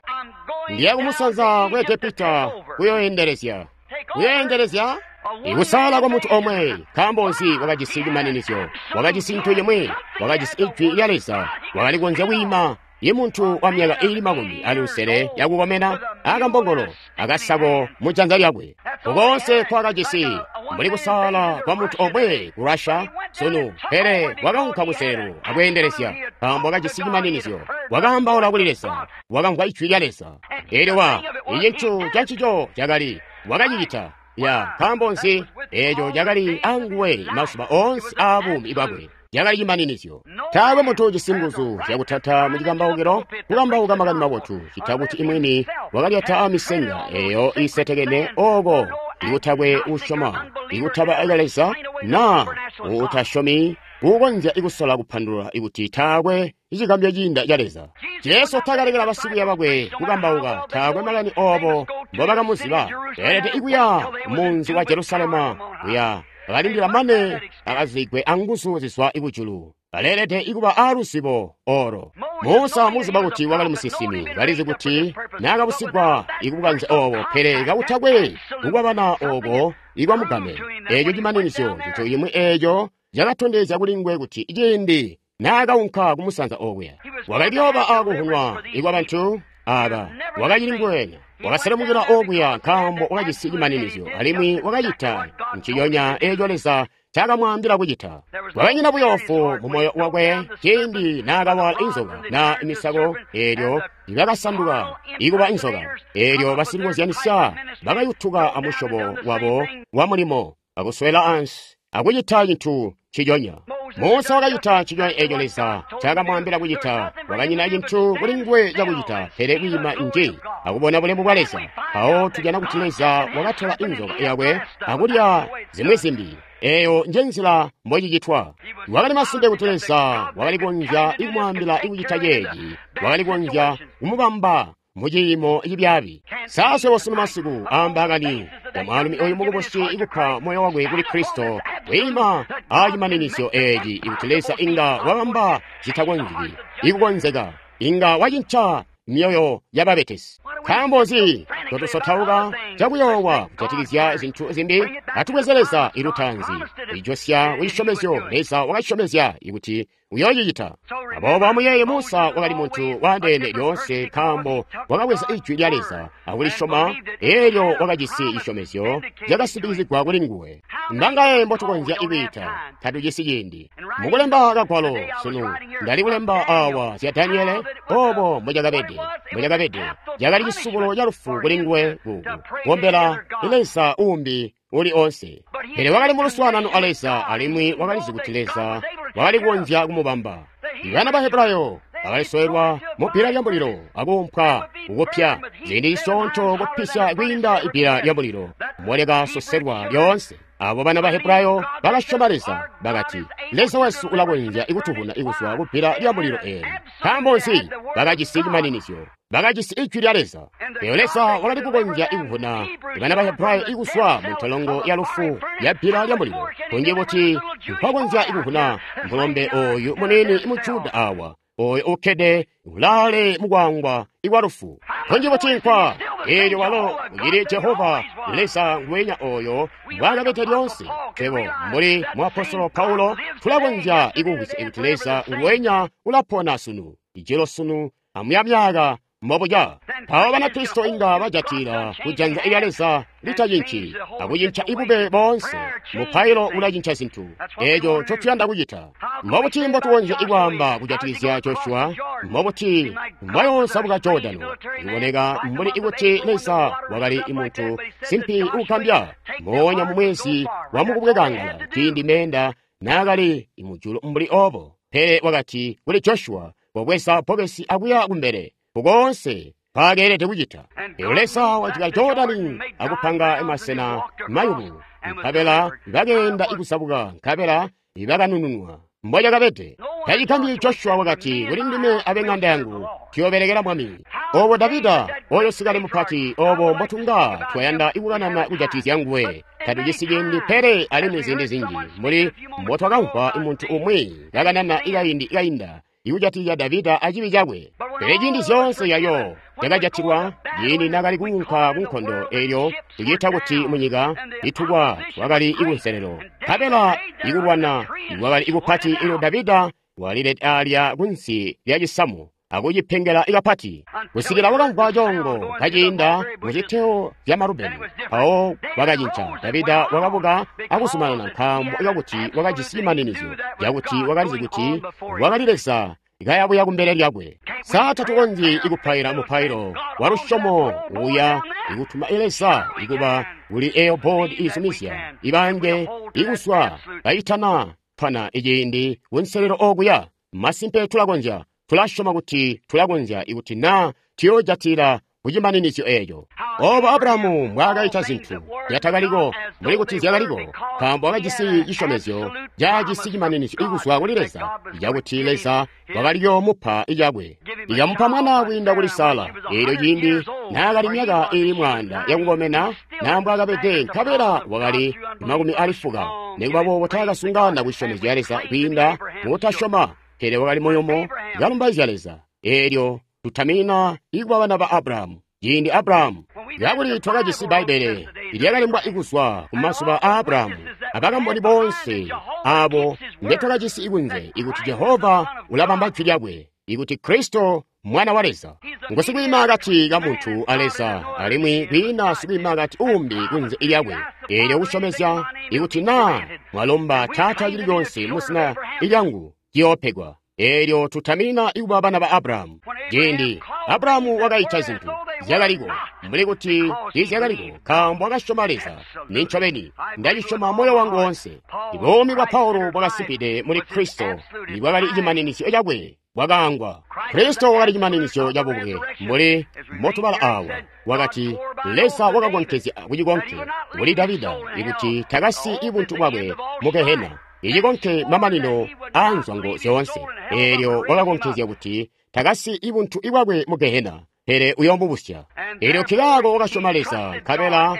Speaker 1: ndiya kumusanza ku Egepita kuyoendelezya. Kuyoendelezya ikusala kwa muntu omwe. Nkaambo nzi? Wakajisi cimaninizyo, wakajisi cintu cimwi, wakajisi ijwi lya Leza, wakali kukonzya kwiima imuntu wa myaka iili makumi ali lusele yakukomena akambongolo akasako mujanza lyakwe. Koonse kwakajisi mbuli kusala kwa muntu omwe ku Russia sunu, pele wakaunka kuselu akweendelezya, nkaambo wakajisi cimaninizyo, wakaambaula kuli Leza, wakamvwa ijwi lya Leza. Eelyo wa icintu cancico cakali wakacicita. Ya nkaambo nzi? Eeco cakali anguwe mazuba oonse aabuumi bwakwe. Cakali cimaninizyo. Taakwe muntu ujisi nguzu zyakutata mu cikambaukilo kukambauka makani mabotu cita kuti imwini wakalyata amisenga eeyo iisetekene ooko ikutakwe usyoma, ikutaba Leza na utasyomi kukonzya ikusola kupandulula ikuti taakwe icigambyo ciinda ca Leza. Jesu takalekela basikwiiya bakwe kukambauka, taakwe makani obo mbobakamuziba. Beelede ikuya munzi wa Jerusalema kuya bakalindila mane akazigwe anguzu zizwa ikujulu. Baleelede ikuba aaluzibo oro. Musa muziba kuti wakali musinsimi, balizi kuti naakabusigwa ikubukanze obo, pele kakutakwe kukwabana obo ikwamugame. Eeco cimaninizyo cintu cimwi eeco cakatondezya kuli nguwe kuti ciindi naakaunka kumusanza okuya wakali kuyooba aakuhunwa ikwa bantu aaba, wakacili nguwenya wakaselemukila okuya nkaambo wakajisi cimaninizyo, alimwi wakacita nciconya eeco Leza caakamwaambila kucita. Wakanyina buyoofu mu moyo wakwe ciindi naakawala inzoka na imisako, eelyo ibakasanduka ikuba inzoka, eelyo basilikozyanisya bakayutuka amusyobo wabo wa mulimo akuswela ansi akucita cintu nciconya. Musa wakacita nciconya eeco Leza caakamwaambila kucita. Wakanyina cintu kuli nguwe cakucita pele kwiima nji akubona bulemu bwa Leza. Mpawo tujana kuti Leza wakatola inzoka yakwe akulya zimwi zimbi. Eeyo njenzila mbocicitwa. Wakali masimpe kuti Leza wakali kukonzya ikumwaambila ikucita ceeci, wakali kukonzya kumubamba muciimo cibyaabi. Saswebo sunu masiku aambaakani ya mwaalumi oyu mukubusi ikupa moyo wakwe kuli Kristo, kwiima aacimaninizyo eeci ikuti Leza inga wabamba citakonzeki ikukonzeka, inga wacinca myoyo yababetesi. Nkaambo nzi totusotauka cakuyoowa kujatikizya zintu zimbi? Atubweze Leza ilutaanzi ijosya kucisyomezyo. Leza wakacisyomezya kuti uyoocicita. Aboobo amuyeeye, Musa wakali muntu waandeene lyoonse, nkaambo wakabweza ijwi lya Leza akulisyoma, eelyo wakajisi cisyomezyo cakasimbikizigwa kuli nguwe. Mbangaye mbotukonzya ikwiita? Tatujisi ciindi. Mukulemba kagwalo sunu, ndali kulemba awa zya Daniele, obo mbocakabede mbocakabede cakali cisubulo ca lufu kuli nguwe ku kukombela Leza uumbi uli onse. Pele wakali mu luswaanano a Leza, alimwi wakalizi kuti Leza wakali kukonzya kumubamba. Bana ba Hebrayo bakalisoelwa mu bbila lya mulilo akuumpwa kukupya ziindi zisyoonto kupisya kwiinda ibbila lya mulilo molyakasoselwa lyoonse. Abo bana ba Hebrayo bakasyoma Leza, bakati, Leza wesu ulakonzya ikutuvuna ikuzwa kubbila lya mulilo eeli. Nkaambo nzi? Bakajisi cimaninizyo, bakajisi ijwi lya Leza. Eyo Leza wakali kukonzya ikuvuna bana ba Hebrayo ikuzwa mu ntolongo ya lufu ya bbila lya mulilo. Kunji kuti nkwakonzya ikuvuna mulombe oyu muniini mu Juda awa, oyo ukkede ulaale mukwangwa ikwa lufu. Kunji kuti nkwa eelyo walo ucili Jehova Leza nguwenya oyo mbwaakabede lyoonse. Twebo mbuli muapostolo Paulo tulakonzya ikumvwisya kuti Leza nguwenya ulapona sunu, ijelo sunu, amuyamyaka mbobuca. Mpawo Banakristo inga bajatila kujanza lya Leza litacinci akucinca ibube boonse. Mupailo ulacinca zintu. Eeco ncotuyanda kucita. Mbobuti mbotukonzya ikwaamba kujatikizya Joshua? Mbobuti mbwayoozabuka Jordano? Iboneka mbuli ikuti Leza wakali muntu simpi uugambya. Moonya mu mwezi wa mukubwekangala ciindi meenda naakali mujulu mbuli obo. Pele wakati kuli Joshua, kobweza bbokesi akuya kumbele kukoonse mpaakeelede kucita. Eyo Leza wajika Jordani akupanga masena mayumu, nkabela bakeenda ikuzabuka, nkabela bakanununwa. Mbocakabede tacigambyi Joshua wakati, kuli ndime abe ŋanda yangu tuyoobelekela Mwami. Obo Davida oyo sikale mupati, obo mbotunga twayanda ikukanana kujatikizya nguwe. Tatujisi ciindi, pele alimwi ziindi zinji mbuli mbotwakamvwa muntu umwi kakanana ikaindi kainda ikujatikizya Davida acibi cakwe. Pele ciindi zyoonse yayo yakajatilwa ciindi naakali kuunka kunkondo, eelyo tuciita kuti munyika itukwa twakali ikunselelo, nkabela ikulwana ikwakali ikupati. Eelyo Davida walilede alya kunsi lya cisamu akucipengela ikapati kusikila wakamvwa coongo kaciinda muziteo zya Marubeni. Mpawo wakacinca. Davida wakabuka akuzumanana, nkaambo kakuti wakajisi cimaninizyo cakuti wakalizi kuti wakali Leza kayabuya kumbele lyakwe. Sa tatukonzyi ikupaila mupailo wa lusyomo uya ikutuma Leza ikuba kuli eyo boodi izumizya ibange ikuswa kaitana pana iciindi kunselelo okuya? Masimpe tulakonzya. Tulasyoma kuti tulakonzya ikuti naa tuyoojatila kucimaninizyo eeco. Obo Abrahamu mbwaakaita zintu zyatakaliko mbuli kuti zyakaliko, nkaambo wakajisi cisyomezyo caajisi cimaninizyo ikuzwa kuli Leza cakuti Leza wakaliyoomupa icakwe. Ikamupa mwana kwiinda kuli Sara, eelyo ciindi naakali myaka iili mwaanda yakukomena naa mbwaakabede, nkabela wakali makumi ali fuka. Nikuba boobo taakasungana kucisyomezyo ca Leza kwiinda mukutasyoma, pele wakali muyumu kalumbaizya Leza. Eelyo tutamina ikuba bana ba Abrahamu ciindi Abrahamu, kakuli twakajisi Bbaibbele lyakalembwa ikuzwa kumazuba a Abrahamu abakamboni boonse abo mbetwakajisi ikunze, ikuti Jehova ulabamba jwi lyakwe, ikuti Kristo mwana wa Leza ngu sikwiima akati ka muntu a Leza, alimwi kwiina sikwiima akati uumbi kunze lyakwe. Eelyo kusyomezya ikuti naa mwalomba Taata cili conse muzina lyangu ciyoopegwa. Eelyo tutamina ikuba bana ba Abrahamu. Ciindi Abrahamu wakaita zintu zyakaliko mbuli kuti tiizyakaliko, nkaambo wakasyoma Leza. Nincobeni ndacisyoma moyo wangu woonse. Buumi bwa Paulo bwakasimpide muli Kristo ibwakali cimaninizyo cakwe bwakaangwa. Kristo wakali cimaninizyo cabubwe mbuli mbotubala awa. Wakati Leza wakakonkezya kucikonke kuli Davida ikuti takasi ibuntu bwakwe mu Gehena, icikonke mamanino aa nzwango zyoonse. Eelyo wakakonkezya kuti takasi ibuntu ibwakwe mu Gehena, pele uyoomubusya. Eelyo Kilaako wakasyoma Leza, nkabela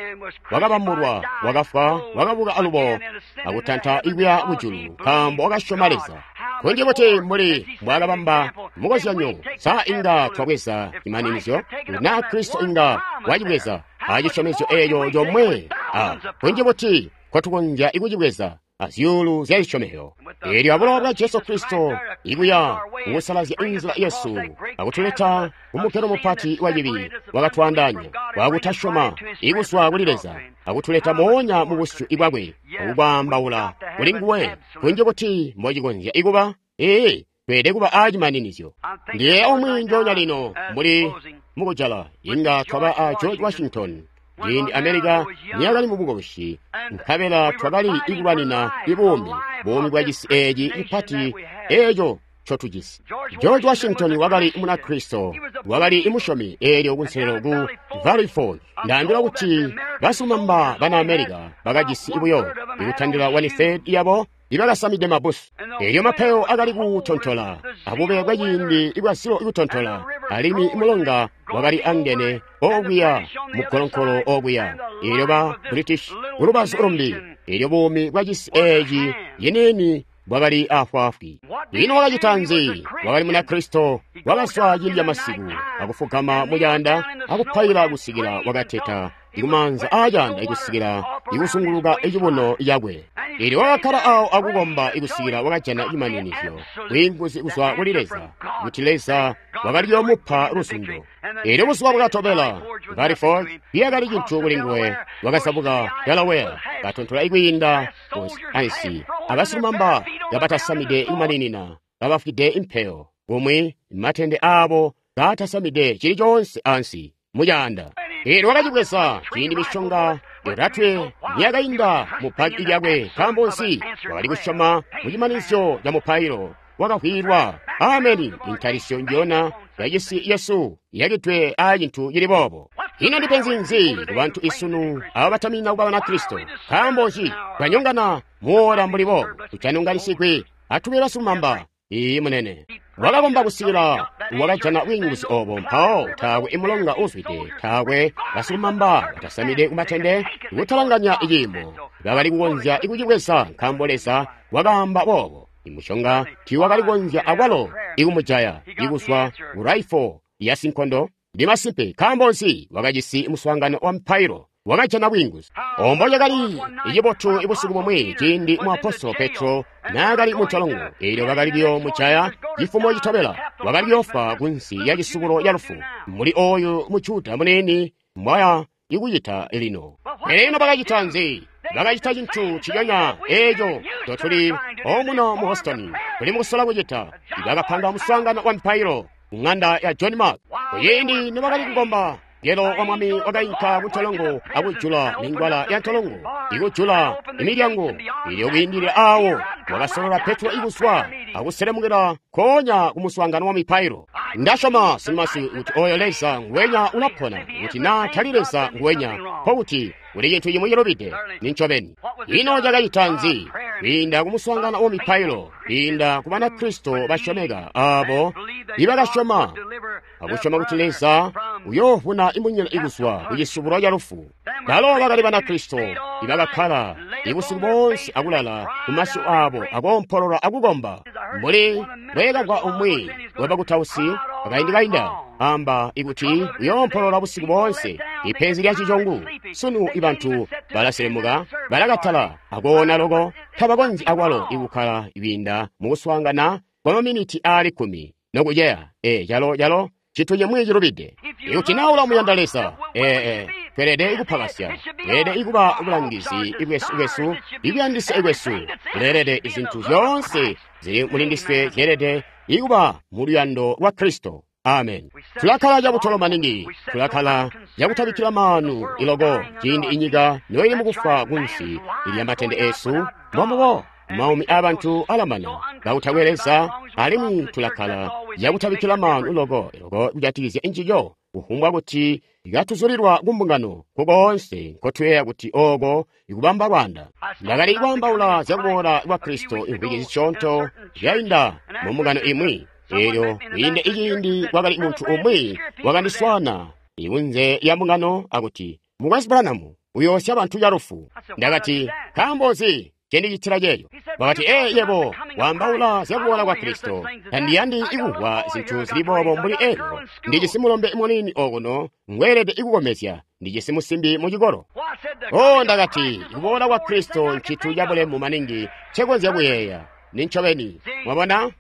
Speaker 1: wakabambulwa, wakafwa, wakabuka alubo akutanta ikuya kujulu, nkaambo wakasyoma Leza. Kunji kuti mbuli mbwaakabamba Mukozyanyo, sa inga twabweza cimaninizyo? Na Kristo inga wacibweza a cisyomezyo eeco comwe, a kunji buti nkotukonzya ikucibweza a zyuulu zya zisyomezyo. Eelyo abulowa bwa Jesu Kristo ikuya kukusalazya inzila yesu akutuleta kumugelo mupati wa cibi wakatwaandaanya wakutasyoma ikuzwa kuli Leza akutuleta moonya mu busyu bwakwe akukwaambaula kuli nguwe. Kunji buti mbocikonzya ikuba? Ee, tweelede kuba a cimaninizyo. Ndiye umwi njoonya lino mbuli mukujala inga twaba a George Washington ciindi America niyakali mu bukoboshi, nkabela twakali ikulwanina ibuumi, buumi bwa cisi eeci cipati eeco ncotujisi. George Washington wakali Munakristo, wakali imusyomi eelyo kunselelo ku Valley Forge. Ndaambila kuti basilumamba bana America bakajisi buyo ikutandila one-third yabo ibakasamide mabusu. Eelyo mapeyo akali kutontola, abube bwaciindi ibwazilo ikutontola, alimwi mulonga wakali angene okuya mugolonkolo okuya. Eelyo ba British kulubazu lumbi, eelyo buumi bwa cisi eeci ciniini bwakali afwaafwi. Ino wakacita nzi? Wakali Munakristo, wakazwa ciindi camasiku akufugama mucaanda akupaila kusikila wakateta ikumaanza aacaanda ikusikila ikusunguluka icibuno cakwe. Eelyo wakakkala awo akukomba ikusikila wakajana cimaninizyo, bwiinguzi kuzwa kuli Leza, kuti Leza wakali kuyoomupa luzundo. Eelyo buzuba bwakatobela, Valley Forge yakali cintu kuli nguwe, wakazabuka Delaware, katontola ikwiinda ku ansi, abasilumamba kabatasamide ikumaninina, kabafwide impeyo, kumwi matende aabo kaatasamide cili coonse ansi mucaanda. Eelyo wakacibweza ciindi misyonga yotatwe niyakainda mu baki lyakwe. Nkaambo nzi? Wakali kusyoma mu cimaninizyo ca mupailo wakavwiilwa. Ameni. Intalisyo njiyona yacisi yesu yakidwe aa cintu cili boobo. Ino ndipenzi nzi kubantu isunu abo batamina kuba Banakristo? Nkaambo nzi twanyongana muwola mbuli boobo? Tutanonganisigwi, atube basilumamba. Iiyi munene. Wakakomba kusikila wakajana bwiinguzi obo, mpawo taakwe imulonga uzwide, taakwe basilumamba batasamide kumatende kutalanganya iciimo bakali kukonzya ikucibweza, nkaambo Leza wakaamba boobo. Imusyonga tiiwakali kukonzya akwalo ikumujaya ikuzwa ku raifo ya sinkondo. Ndi masimpe. Nkaambo nzi? Wakajisi muswaangano wa mpailo, wakajana bwiinguzi. Ombo cakali icibotu ibusiku bumwi ciindi muapostolo Petro naakali muntolongo, eelyo bakali kuyoomujaya cifumo citobela, wakali kuyoofwa kunsi ya cisubulo ca lufu, mbuli ooyu mu Juda muniini mbwaya ikucita lino. Pele ino bakacita nzi? Bakacita cintu nciconya eeco ncotuli omuno mu Houston tuli mukusola kucita. Bakapanga muswaangano wa mpailo ku ŋanda ya John Mark. Kuciindi nibakali kukomba, Mungelo wa Mwami wakainka kuntolongo akujula mingwala ya ntolongo, ikujula imilyango. Eelyo kwiindilila aawo wakasolola Petro ikuzwa akuselemukila nkoonya kumuswaangano wa mipailo. Ndasyoma sinmasi kuti oyo Leza nguwenya ulapona, kuti naa tali Leza nguwenya, nkokuti kuli cintu cimwi cilubide. Nincobeni. Ino cakacita nzi? Kwiinda kumuswaangano wa mipailo, kwiinda ku Banakristo basyomeka aabo ibakasyoma akusyoma kuti Leza uyoovuna imunyina ikuzwa ku cisubulo ca lufu. Balo bakali Banakristo ibakakkala ibusiku boonse akulala kumasyu aabo akoompolola akukomba. Mbuli bweekagwa umwi wabakutausi akaindi kainda amba ikuti uyoompolola busiku boonse. Ipenzi lya cicongu sunu ibantu balaselemuka, balakatala akoona loko, tabakonzyi akwalo ikukkala kwiinda mukuswaangana kwa maminiti aali kkumi nokuceya. E calo calo cintu cimwi cilubide. Ikuti naa ulamuyanda Leza, ee, tweelede ikupakasya, tweelede ikuba bulangizi bwesu bwesu, ikuyandisya kwesu, kuleelede izintu zyoonse zili mulindiswe zyeelede ikuba mu luyando lwa Kristo. Amen. Tulakkala cabutolo maningi, tulakkala cakutabikkila maanu iloko ciindi inyika noili mukufwa kunsi ilya matende eesu. Mbombubo maumi aabantu alamana kakutakwe Leza, alimwi tulakkala cakutabikkila maanu loko iloko kujatikizya njiyo, kufumbwa kuti katuzulilwa kumbungano kukoonse nkotuyeeya kuti ooko ikubamba lwaanda. Ndakali kwaambaula zyakuboola kwa Kristo imvwiki zisyoonto zyainda mumbungano imwi. Eelyo kwiinde iciindi kwakali muntu umwi wakandiswaana ikunze ya mbungano akuti, Mukwesu Branham uyoosya bantu calufu. Ndakati, nkaambo nzi Cendicitila ceeco. Wakati, ee, yebo waambaula zya kuboola kwa Kristo. Tandiyandi ikumvwa zintu zili boobo mbuli elyo. Ndijisi mulombe muniini okuno ngweelede ikukomezya. Ndijisi musimbi mu cikolo. Oh, ndakati, kuboola kwa Kristo ncintu cabulemu maningi ncekonzya kuyeeya. Nincobeni. Mwabona?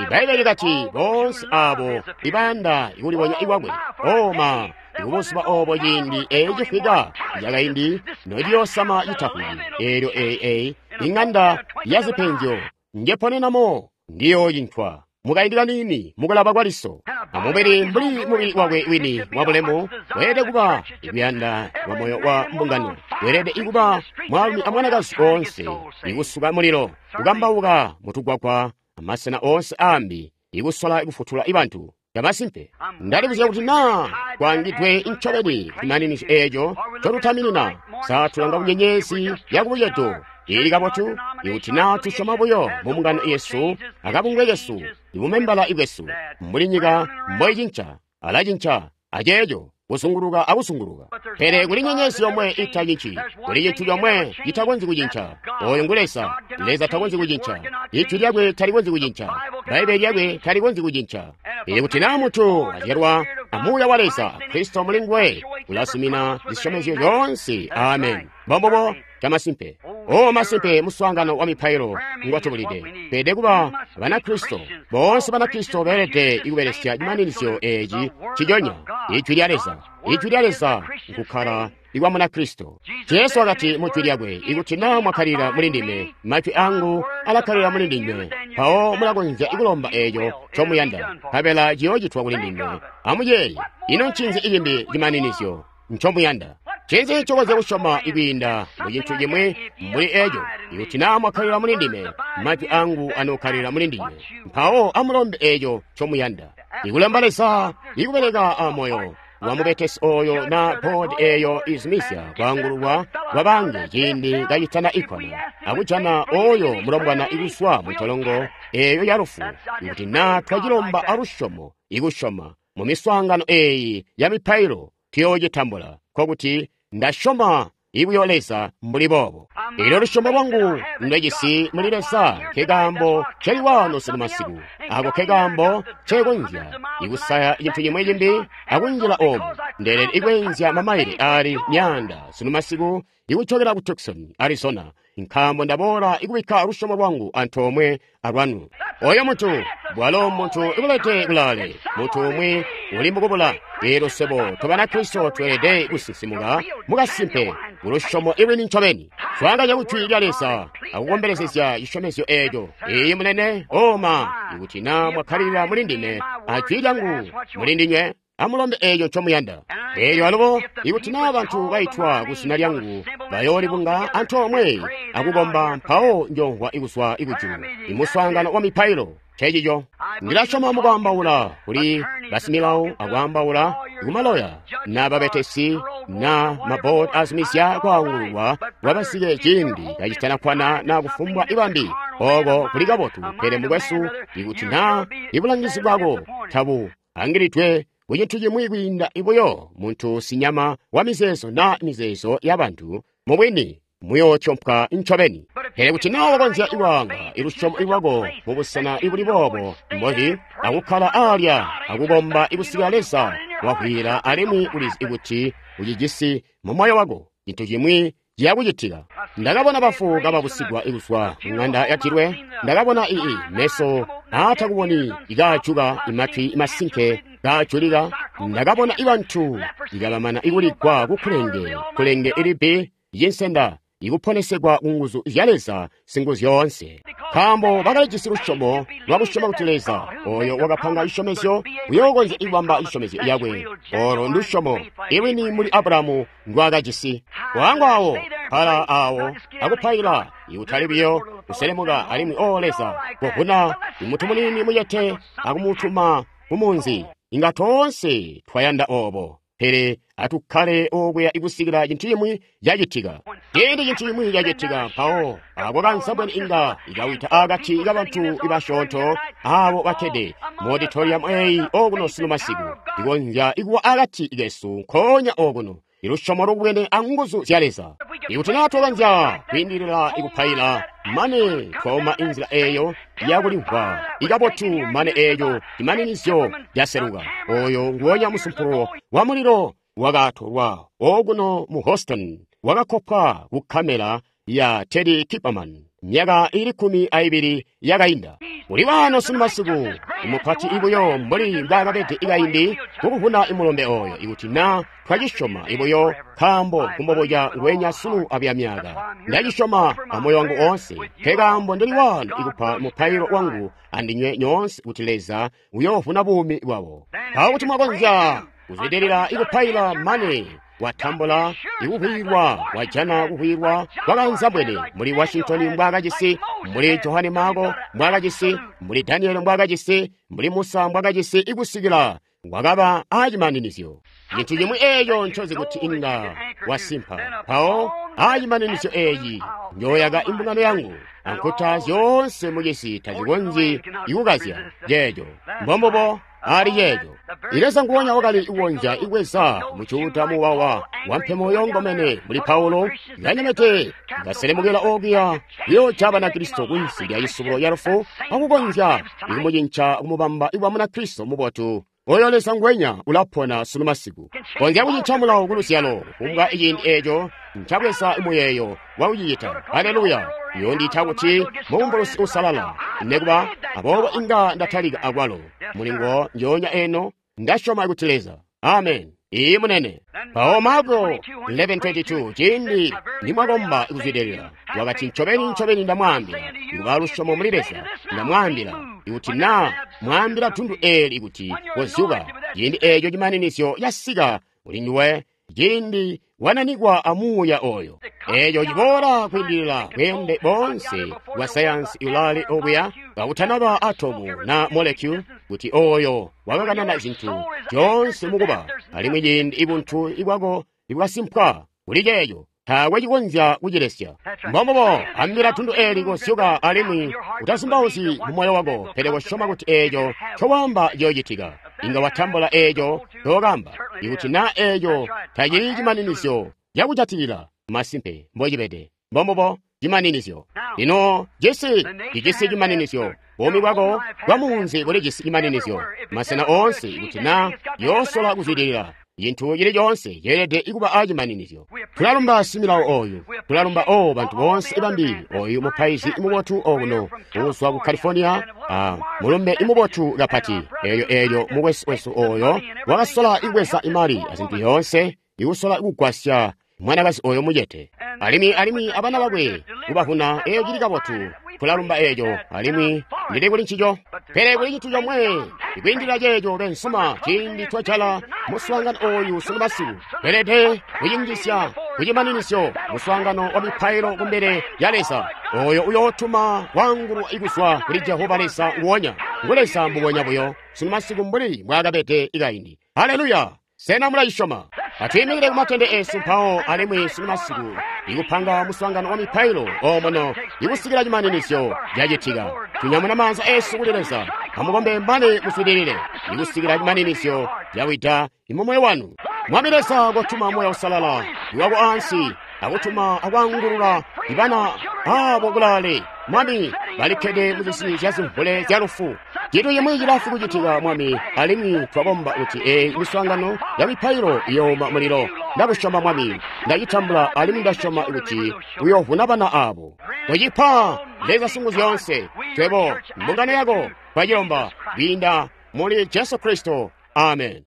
Speaker 1: Ibbaibbele likati, boonse abo ibayanda ikulibonya ikwakwe. Oh ma, ikubuzuba obo ciindi ecifika cakaindi nociyoosama citafwiki. Eelyo ee ing'anda ya zipenzyo njeponenamo ndiyoocintwa mukaindi kaniini mukulaba kwa liso. Amubili mbuli mubili wakwe wini wabulemu weelede kuba ikuyanda kwa moyo wa mbungano, weelede ikuba mwaalumi amwanakazi oonse ikusuka mulilo, kukambauka mutugwagwa amasena oonse aambi, ikusola ikufutula ibantu. Yamasimpe ndalibuzya kuti naa kwaangidwe ncobeni kumaninizyo eeco ncotutaminina. Sa tulanga kunyenyezi yakubucedo ili kabotu ikuti naa tusyoma buyo mu mbungano yesu akabungwe kesu ibumembala ibwesu mbuli nyika mboicinca alacinca aceeco kuzunguluka akuzunguluka. Pele kuli nyenyezi yomwe itacinci, kuli cintu comwe citakonzyi kucinca. Oyo ngu Leza. Leza takonzyi kucinca. Ijwi lyakwe talikonzyi kucinca. Bbaibbele lyakwe talikonzyi kucinca. Ikuti naa muntu azyalwa amuuya wa Leza, Kristo muli nguwe ulazumina zisyomezyo zyoonse. Amen. Mbombubo camasimpe. O masimpe, muswaangano wa mipailo ngwatubulide. Tweelede kuba Banakristo. Boonse Banakristo beelede ikubelesya cimaninizyo eeci ciconya, Ijwi lya Leza. Ijwi lya Leza nkukkala ikwa Munakristo. Jesu wakati mu jwi lyakwe, ikuti naa mwakkalila muli ndime, majwi angu alakkalila muli ndinywe, mpawo mulakonzya ikulomba eeco ncomuyanda, nkabela ciyoocitwa kuli ndinywe. Amuyeeye, ino ncinzi icimbi cimaninizyo ncomuyanda? Ncinzi ncokonzya kusyoma ikwiinda mu cintu cimwi mbuli eeco? Ikuti naa mwakkalila muli ndime, majwi angu anookkalila muli ndinywe, mpawo amulombe eeco ncomuyanda. Ikulomba Leza ikubeleka amoyo wamubetesi oyo na boodi eeyo izumizya kwaangululwa kwabaange ciindi kacitana ikkwana, akujana oyo mulombwana ikuswa mu ntolongo eeyo ya lufu. Ikuti naa twacilomba alusyomo ikusyoma mu miswaangano eeyi ya mipailo, tuyoocitambula. Nkokuti ndasyoma ibuyo Leza mbuli boobo. Eelyo lusyomo lwangu ndwejisi muli Leza nkekaambo nceli waano sunu masiku. Ako nkekaambo ncekonzya ikusaya cintu cimwi cimbi akunjila oomu. Ndeelede ikweenzya mamaile aali myaanda sunu masiku ikucokela ku Tucson, Arizona, nkaambo ndaboola ikubikka lusyomo lwangu antoomwe alwanu. Oyo muntu bwalo muntu ibulete kulaale, muntu umwi uli mukubula. Eelyo swebo tobanakristo tweelede kusinsimuka mukasimpe kulusyomo ilwini ncobeni. Swaanganya kujwi lya Leza akukombelezezya cisyomezyo eeco. Iyi munene, oma, ikuti naa mwakkalilila muli ndime ajwi lyangu muli ndinywe, amulombe eeco ncomuyanda. Eelyo alubo, ikuti naa bantu baitwa ku zina lyangu bayoolibunga antoomwe akukomba, mpawo njoomvwa ikuzwa ikujulu. Imuswaangano wa mipailo ncecico. Ndilasyoma mukwaambaula kuli basimilawo akwaambaula kumaloya na babetesi na maboodi azumizya kwaangululwa kwabasike ciindi kacitanakkwana na kufumbwa ibambi. Oko kuli kabotu. Pele mukwesu, ikuti naa ibulangizi bwako tabu angilidwe kucintu cimwi kwiinda ibuyo muntu sinyama wa mizeezo na mizeezo yabantu, mubwini muyootyompwa ncobeni. Pele kuti naa wakonzya ikwaanga ilusyomo lwako mubusena ibuli boobo mbozi, akukkala alya akukomba ikusikila Leza wavwiila, alimwi ulizi kuti ucijisi mu moyo wako, cintu cimwi ciyakucitika. Ndakabona bafu kababusigwa ikuzwa mu ng'anda ya dilwe. Ndakabona ii meso aatakuboni ikaajuka, imatwi masinke kaajulika. Ndakabona ibantu ikabamana ikuligwa kukulenge kulenge ilibbi yinsenda ikuponesegwa ku nguzu zya Leza Singuzyoonse, nkaambo bakalijisi lusyomo lwakusyoma kuti Leza oyo wakapanga cisyomezyo uyookonzya ikubamba cisyomezyo yakwe. Olo ndusyomo ilwini muli Abulahamu ndwaakajisi. Kwaangwa awo pala awo akupaila, ikutali buyo kuselemuka alimwi o Leza kovuna imuntu muniini mucete akumutuma kumunzi. Inga toonse twayanda oobo, pele atukkale okuya ikusikila cintu cimwi cacitika. Ciindi cintu cimwi cacitika, mpawo ako kansabweni inga ikawita akati kabantu ibasyoonto abo bakkede mu auditorium eyi okuno sunu masiku, ikonzya ikuwa akati kesu nkoonya okuno. Ilusyomo lubwene anguzu zya Leza. Ikuti naa twakonzya kwiindilila ikupaila mane twauma inzila eeyo yakulimvwa ikabotu mane eeyo cimaninizyo caseluka. Oyo nguwonya musumpulo wa mulilo wakatolwa okuno mu Houston wakakopwa ku kamera ya Teddy Kipperman myaka ili kkumi aibili yakainda. Uli wano sunu masiku imupati ibuyo mbuli mbwaakabede ikaindi kukuvuna imulombe oyo ikuti naa twacisyoma ibuyo nkaambo kumboboja ngwenya sunu abuya myaka. Ndacisyoma amoyo wangu oonse nkekaambo ndili wano ikupa mupailo wangu andinywe nyoonse kuti Leza uyoovuna buumi bwabo. Mpawo kuti mwakonzya kuzwidilila ikupaila mane watambula ikuhwilwa wajana kuhwilwa kwakanzambwene muli Washington mbwaakajisi, muli Johane Marko mbwaakajisi, muli Daniel mbwaakajisi, muli Musa mbwaakajisi ikusikila wakaba aacimaninizyo. Cintu cimwi eeco ncozi kuti inga wasimpa. Mpawo aacimaninizyo eeci njooyaka imbungano yangu ankuta zyoonse mucisi tazikonzyi ikukazya ceeco. Mbombubo ali ceeco. Leza nguwonya wakali kukonzya ikweza mucuuta muwawa wampemo yongomene muli Paulo kanyemete kaselemukila okuya kuyoca Banakristo kunsi lya cisubulo ya lufu akukonzya ikumucinca kumubamba ikwa Munakristo mubotu. Oyo Leza ngwenya ulapona sunu masiku. Konzya kucinca mulawo kuluzyalo kumbwa iciindi eeco ncabweza muyeeyo wakucicita. Haleluya! Yondiita kuti mubumbulusi usalala nekuba aboobo inga ndatalika akwalo mulingo njoonya eno ndasyoma kuti Leza. Amen. Iyi munene. Mpawo Marko eleven twenty-two ciindi nimwakomba kuzwidilila wakati ncobeni ncobeni ndamwaambila ikuba lusyomo muli Leza ndamwaambila ikuti naa mwaambila tundu eeli kuti kozyuka ciindi eeco cimaninizyo yasika kuli nduwe ciindi wananikwa amuuya oyo. Eeco ciboola kwiindilila bweende boonse bwa sayansi ulaali obuya kakutanaba atomu na molecule kuti oyo wakakanana zintu zyoonse mukuba alimwi ciindi ibuntu ibwako ibwasimpwa kuli ceeco taakwe cikonzya kucilesya. Mbombubo ambila tundu eeli kozyuka alimwi utazumbauzyi mu moyo wako pele kosyoma kuti eeco ncowaamba ciyoocitika. Inga watambula eeco ncookamba ikuti naa eeco tacili cimaninizyo cakujatilila masimpe mbocibede. Mbombubo cimaninizyo. Lino cisi cijisi cimaninizyo. Buumi bwako bwa munzi bulijisi cimaninizyo. Masena oonse ikuti naa yoosola kuzwidilila cintu cili coonse ceelede ikuba aacimaninizyo. Tulalumba similawo oyu, tulalumba o bantu boonse bambi, oyu mupaizi mubotu okuno uzwa ku California, a mulumbe imubotu kapati. Eeyo eelyo mukwesu wesu oyo wakasola ikubweza imali azintu yoonse ikusola kugwasya mwanakazi oyo mucete alimwi alimwi abana bakwe kubavuna. Eeyo cili kabotu, tulalumba eeco alimwi ndili kuli ncico. Pele kuli cintu comwe ikwiindilila ceeco bensuma ciindi twajala muswaangano oyu sunu masiku tweelede kucinjisya kucimaninizyo muswaangano wa mipailo kumbele ya Leza oyo uyootuma kwaangulwa ikuzwa kuli Jehova Leza nguwonya ngu Leza mbubonya buyo sunu masiku mbuli mbwaakabede ikaindi. Haleluya! Sena mulayisyoma? Atwiimikile kumatende esu mpawo alimwi sunu masiku ikupanga muswaangano wa mipailo omono ikusikila cimaninizyo cacitika. Tunyamuna maanza esu kuli Leza amukombe mane muswidilile ikusikila cimaninizyo cawida imumoyo wanu. Mwami Leza kotuma Moya Usalala iwako ansi akutuma akwangulula ibana abo kulaale. Mwami balikkede mucisi ca zimvule zya lufu. Cintu cimwi cilafu kucitika Mwami alimwi twakomba kuti eeyi miswaangano ya mipailo iyooma mulilo. Ndakusyoma Mwami, ndacitambula alimwi ndasyoma kuti uyoovuna bana abo. Kucipa Leza sungu zyoonse twebo mbungano yako twacilomba kwiinda muli Jesu Kristo. Amen.